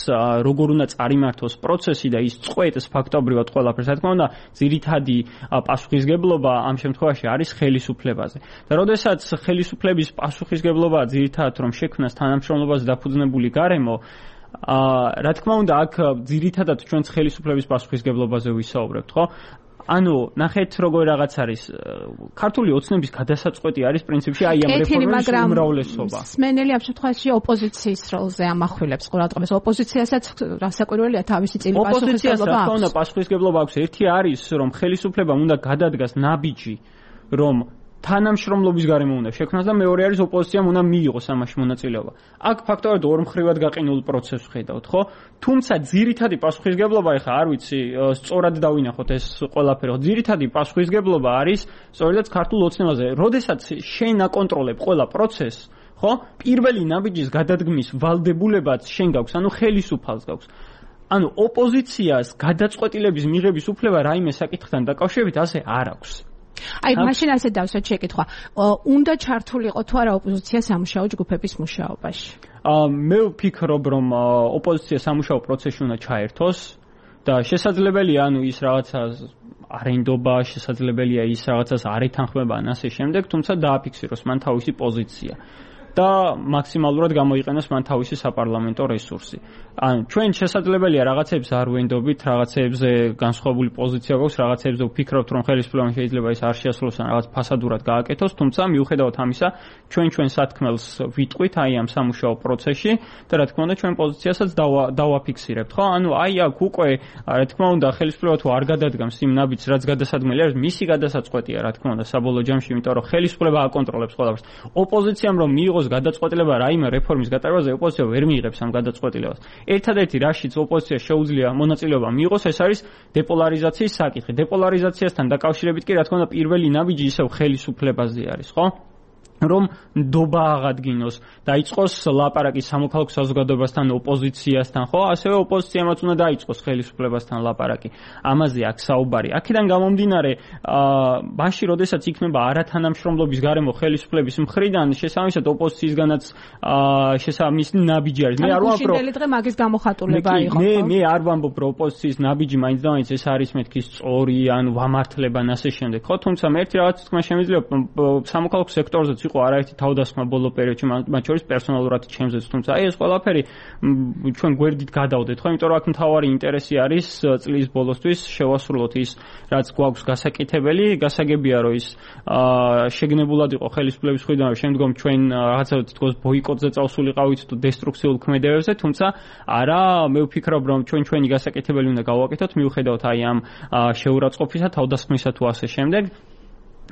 როგორ უნდა წარიმართოს პროცესი და ის წყვეტს ფაქტობრივად ყველაფერს. რა თქმა უნდა, ძირითადი პასუხისგებლობა ამ შემთხვევაში არის ხელისუფლებაზე. და როდესაც ხელისუფლების პასუხისგებლობა ძირითადად რომ შექმნას თანამშრომლობაზე დაფუძნებული გარემო, რა თქმა უნდა, აქ ძირითადად ჩვენც ხელისუფლების პასუხისგებლობაზე ვისაუბრებთ, ხო? ანუ ნახეთ როგორ რაღაც არის ქართული ოცნების გადასაწყვეტი არის პრინციპში აი ამ რეფორმის უმრავლესობა. სმენელი ამ შემთხვევაში ოპოზიციის როლზე ამახვილებს ყურადღებას. ოპოზიციასაც რასაკვირველია თავისი წილი პასუხისგებლობა აქვს. ოპოზიციას პასუხისგებლობა აქვს. ერთი არის რომ ხელისუფლებამ უნდა გადადგას ნაბიჯი რომ თანამშრომლობის გარემო უნდა შექმნას და მეორე არის ოპოზიციამ უნდა მიიღოს ამაში მონაწილეობა. აქ ფაქტობრივად ორმხრივად გაყინულ პროცესს ხედავთ, ხო? თუმცა ძირითადი პასუხისგებლობა ეხა არ ვიცი, სწორად დავინახოთ ეს ყველაფერი. ძირითადი პასუხისგებლობა არის სწორედაც ქართულ ოცნებაზე. როდესაც შენ აკონტროლებ ყველა პროცესს, ხო? პირველი ნაბიჯის გადადგმის ვალდებულებაც შენ გაქვს, ანუ ხელისუფალს გაქვს. ანუ ოპოზიციას გადაწყვეტილების მიღების უფლება რაიმე საკითხთან დაკავშირებით ასე არ აქვს. აი, მაშინ ასე დავსვათ შეკითხვა. უნდა ჩართულიყო თუ არა ოპოზიცია სამუშაო ჯგუფების მუშაობაში? მე ვფიქრობ, რომ ოპოზიცია სამუშაო პროცესში უნდა ჩაერთოს და შესაძლებელია, ანუ ის რაღაცა არენდობა, შესაძლებელია ის რაღაცას არ ეთანხმება ან ასე შემდეგ, თუმცა დააფიქსიროს მან თავისი პოზიცია. და მაქსიმალურად გამოიყენოს მან თავისი საპარლამენტო რესურსი. ან ჩვენ შესაძლებელია რაღაცებს არ ვენდობით, რაღაცებზე განსხვავებული პოზიცია გვაქვს, რაღაცებზე ვფიქრობთ, რომ ხელისუფლებამ შეიძლება ის არ შეასრულოს ან რაღაც ფასადურად გააკეთოს, თუმცა მიუხედავად ამისა, ჩვენ სათქმელს ვიტყვით აი ამ სამუშაო პროცესში და რა თქმა უნდა ჩვენ პოზიციასაც დავაფიქსირებთ, ხო? ანუ აი აქ უკვე რა თქმა უნდა ხელისუფლება თუ არ გადადგამს იმ ნაბიჯს, რაც გადასადგმელი არის, მისი გადასაწყვეტია რა თქმა უნდა საბოლოო ჯამში, იმიტომ რომ ხელისუფლება აკონტროლებს ყველაფერს. ოპოზიციამ რომ მიიღოს გადაწყვეტილება რაიმე რეფორმის გატარებაზე, ოპოზიცია ვერ მიიღებს ამ გადაწყვეტილებას. ერთადერთი რაშიც ოპოზიცია შეუძლია მონაწილეობა მიიღოს, ეს არის დეპოლარიზაციის საკითხი. დეპოლარიზაციასთან დაკავშირებით კი რა თქმა უნდა პირველი ნაბიჯი ისევ ხელისუფლებაზე არის, ხო? რომ ნდობა აღადგინოს, დაიწყოს ლაპარაკი სამოქალაქო საზოგადოებასთან, ოპოზიციასთან, ხო? ასევე ოპოზიციამაც უნდა დაიწყოს ხელისუფლებასთან ლაპარაკი. ამაზე აქ საუბარი. აქედან გამომდინარე, მაშინ როდესაც იქნება არათანამშრომლობის გარემო ხელისუფლების მხრიდან, შესაბამისად ოპოზიციისგანაც შესაბამისი ნაბიჯი არის. მე არ ვამბობ, რომ შინდელი დღე მაგის გამოხატულება იყო, ხო? მე არ ვამბობ, რომ ოპოზიციის ნაბიჯი მაინც და მაინც ეს არის მეთქი სწორი, ან ვამართლება ან ასე შემდეგ, ხო? თუმცა მე ერთი რაღაც თქმა შემიძლია სამოქალაქო სექტორზე იყო არაერთი თავდასხმა ბოლო პერიოდში, მათ შორის პერსონალურად ჩემზეც, თუმცა აი ეს ყველაფერი ჩვენ გვერდით გადავდეთ, ხო? იმიტომ რომ აქ მთავარი ინტერესი არის წლის ბოლოსთვის შევასრულოთ ის, რაც გვაქვს გასაკეთებელი, გასაგებია რომ ის შეგნებულად იყო ხელისუფლების მხრიდან, შემდგომ ჩვენ რაღაცა თითქოს ბოიკოტზე წავსულიყავით თუ დესტრუქციულ ქმედებებზე, თუმცა არა, მე ვფიქრობ რომ ჩვენი გასაკეთებელი უნდა გავაკეთოთ, მიუხედავად აი ამ შეურაცხყოფისა, თავდასხმისა თუ ასე შემდეგ.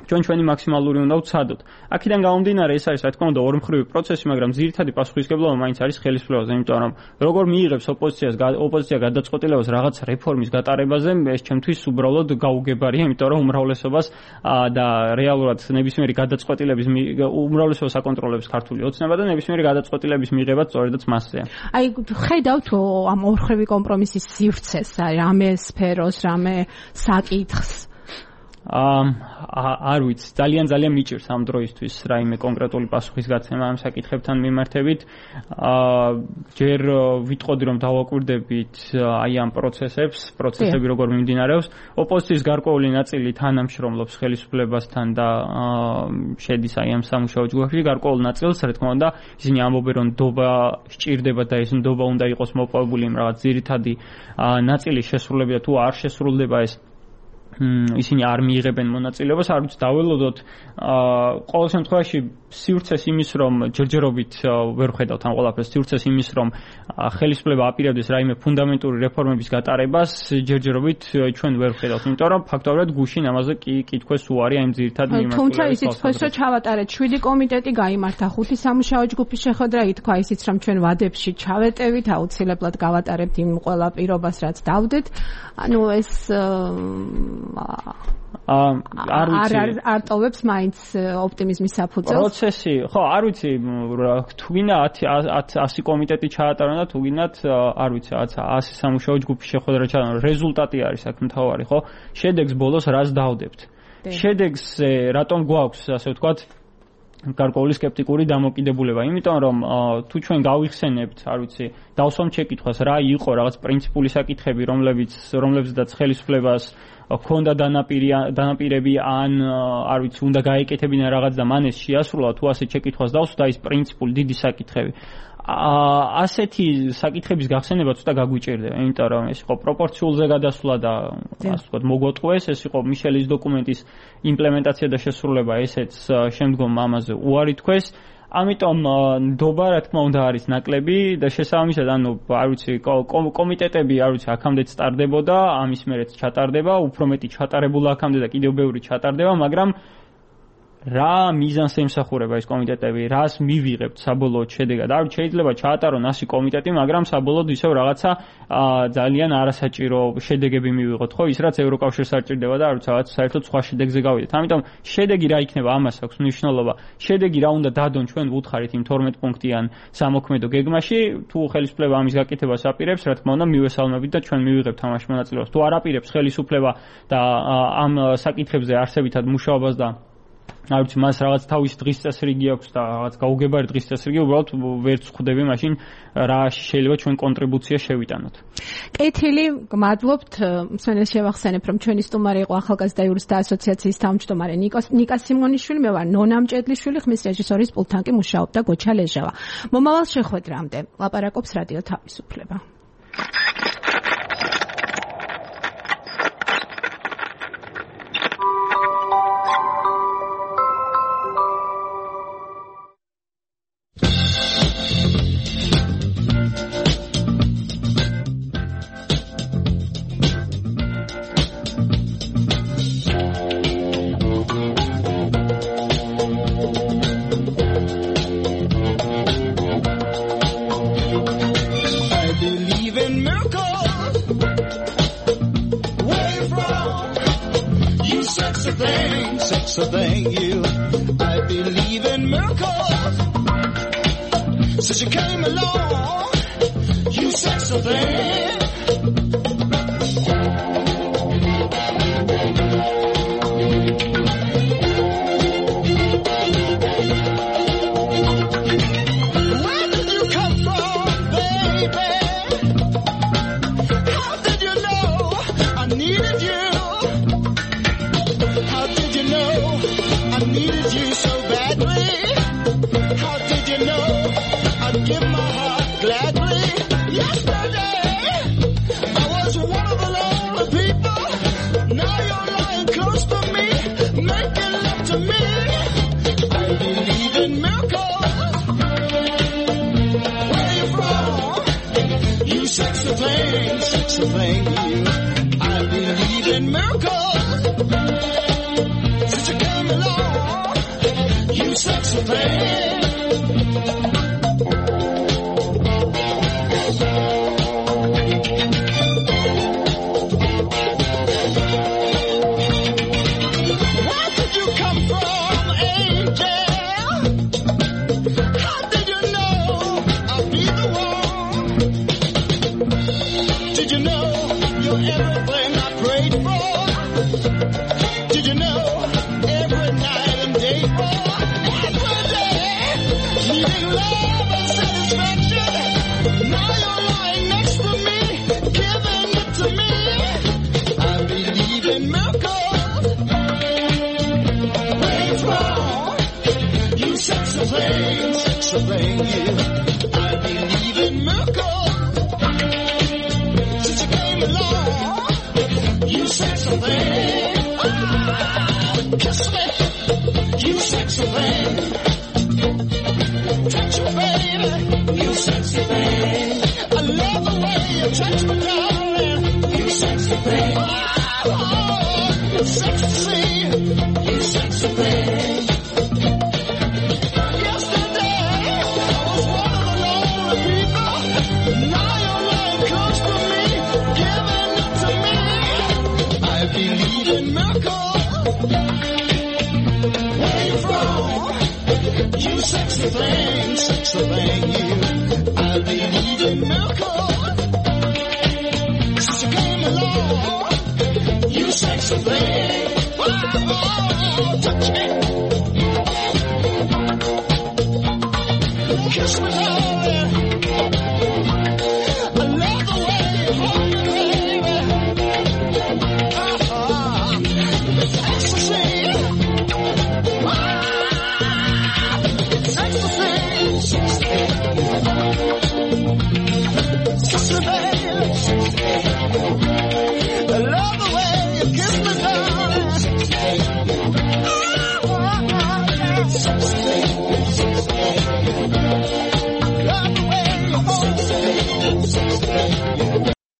ჩვენი მაქსიმალური უნდა ვცადოთ. აქედან გამომდინარე ეს არის რა თქმა უნდა ორმხრივი პროცესი, მაგრამ ძირითადი პასუხისგებლობა მაინც არის ხელისუფლებაზე, იმიტომ რომ როგორ მიიღებს ოპოზიცია გადაწყვეტილებას რაღაც რეფორმის გატარებაზე, ეს ჩემთვის უბრალოდ გაუგებარია, იმიტომ რომ უმრავლესობას და რეალურად ნებისმიერი გადაწყვეტილების უმრავლესობას აკონტროლებს ქართული ოცნება და ნებისმიერი გადაწყვეტილების მიღება სწორედაც მასზეა. აი ხედავთ ამ ორმხრივი კომპრომისის სივრცეს, რამე სფეროს, რამე საკითხს არ ვიცი, ძალიან მიჭირს ამ დროისთვის რაიმე კონკრეტული პასუხის გაცემა ამ საკითხებთან მიმართებით. ჯერ ვიტყოდი რომ დავაკვირდებით აი ამ პროცესები როგორ მიმდინარეობს. ოპოზიციის გარკვეული ნაწილი თანამშრომლობს ხელისუფლებასთან და შედის აი ამ სამუშაო ჯგუფში, გარკვეულ ნაწილს რა თქმა უნდა ისინი ამბობენ რომ ნდობა სჭირდება და ეს ნდობა უნდა იყოს მოპოვებული იმ რაღაც ძირითადი ნაწილის შესრულება თუ არ შესრულდება ეს ისინი არ მიიღებენ მონაწილეობას, არ ვიცი დაველოდოთ ყოველ შემთხვევაში სივრცეს იმის რომ ჯერჯერობით ვერ ხედავთ ამ ყველაფერს სივრცეს იმის რომ ხელისუფლება აპირებდეს რაიმე ფუნდამენტური რეფორმების გატარებას ჯერჯერობით ჩვენ ვერ ხედავთ, იმიტომ რომ ფაქტობრივად გუშინ ამაზე კითხვას უარი აი ძირითად მიმართულებით. თუმცა ისიც ხოს რომ ჩავატარეთ 7 კომიტეტი გაიმართა 5 სამუშაო ჯგუფი შეხვედრა ითქვა ისიც რომ ჩვენ ვადებში ჩავეტევით აუცილებლად გავატარებთ იმ ყველა პირობას რაც დავდეთ. ანუ ეს არ ტოვებს მაინც ოპტიმიზმის საფუძველს. პროცესი, ხო, არ ვიცი, თუ გინდა 100 კომიტეტი ჩაატარონ და თუ გინდათ, არ ვიცი, 100 სამუშაო ჯგუფი შეხვედრა ჩაატარონ, რეზულტატი არის აქ მთავარი, ხო? შედეგს ბოლოს რას დავდებთ? შედეგს რატომ გვაქვს, ასე ვთქვათ, გარკვეული სკეპტიკური დამოკიდებულება, იმიტომ რომ თუ ჩვენ გავიხსენებთ, არ ვიცი, დავსვამ შეკითხვას, რა იყო რაღაც პრინციპული საკითხები, რომლებზეც ხელისუფლებას ქონდა დანაპირები ან არ ვიცი, უნდა გაეკეთებინა რაღაც და მან ეს შეასრულა, თუ ასე შეკითხვას დავსვდა ის პრინციპული დიდი საკითხები. ასეთი საკითხების გახსენება ცოტა გაგვიჭირდება, იმიტომ რომ ეს იყო პროპორციულზე გადასვლა და ასე ვთქვათ, მოგვატყუეს, ეს იყო მიშელის დოკუმენტის იმპლემენტაცია და შესრულება, ესეც შემდგომ ამაზე უარი თქვეს. ამიტომ ნდობა რა თქმა უნდა არის ნაკლები და შესაბამისად ანუ არ ვიცი კომიტეტები არ ვიცი აქამდეც სტარდებოდა, ამის მერეც ჩატარდება, უფრო მეტი ჩატარებულა აქამდე და კიდევ ბევრი ჩატარდება, მაგრამ რა მიზანს ემსახურება ეს კომიტეტები, რას მივიღებთ საბოლოოდ შედეგად? არ შეიძლება ჩაატარონ 100 კომიტეტი, მაგრამ საბოლოოდ ისევ რაღაცა ძალიან არასაჭირო შედეგები მივიღოთ, ხო? ის რაც ევროკავშირს არ ჭირდება და არ ვიცი, რაღაც საერთოდ სხვა შედეგზე გავიდეთ. ამიტომ შედეგი რა იქნება, ამას აქვს მნიშვნელობა. შედეგი რა უნდა დადონ ჩვენ ვუთხარით იმ 12 პუნქტიან სამოქმედო გეგმაში, თუ ხელისუფლება ამის გაკეთებას აპირებს, რა თქმა უნდა, მივესალმებით და ჩვენ მივიღებთ ამაში მონაწილეობას. თუ არ აპირებს ხელისუფლება და ამ საკითხებზე არსებითად მუშაობას და არ ვიცი, მას რაღაც თავის დღის წესრიგი აქვს და რაღაც გაუგებარი დღის წესრიგი, უბრალოდ ვერც ხვდები მაშინ რა შეიძლება ჩვენ კონტრიბუცია შევიტანოთ. კეთილი, გმადლობთ. მსმენელს შევახსენებ, რომ ჩვენი სტუმარი იყო ახალგაზრდა იურისტთა ასოციაციის თავმჯდომარე ნიკა სიმონიშვილი, მე ვარ ნონა მჭედლიშვილი, ხმის რეჟისორის პულტთან კი მუშაობდა გოჩა ლეჟავა. მომავალ შეხვედრამდე ლაპარაკობს რადიო თავისუფლება. Since you came along, you sexy thing. Where did you come from, baby? How did you know I needed you? How did you know I needed you so badly? How did you know I'd give my heart gladly? Yesterday, I was one of the lonely people. Now you're lying close to me, making love to me. I believe in miracles. Where you from? You sexy thing, you. I believe in miracles. Since you came along, you sexy thing. Thing, you. I believe in miracles. Since you came along, you said something. darling, you sexy thing. Oh, you sexy, you sexy thing. Yesterday, I was one of the lonely people. Now your love comes to me, giving it to me. I believe in miracles. Where you from? You sexy thing, you.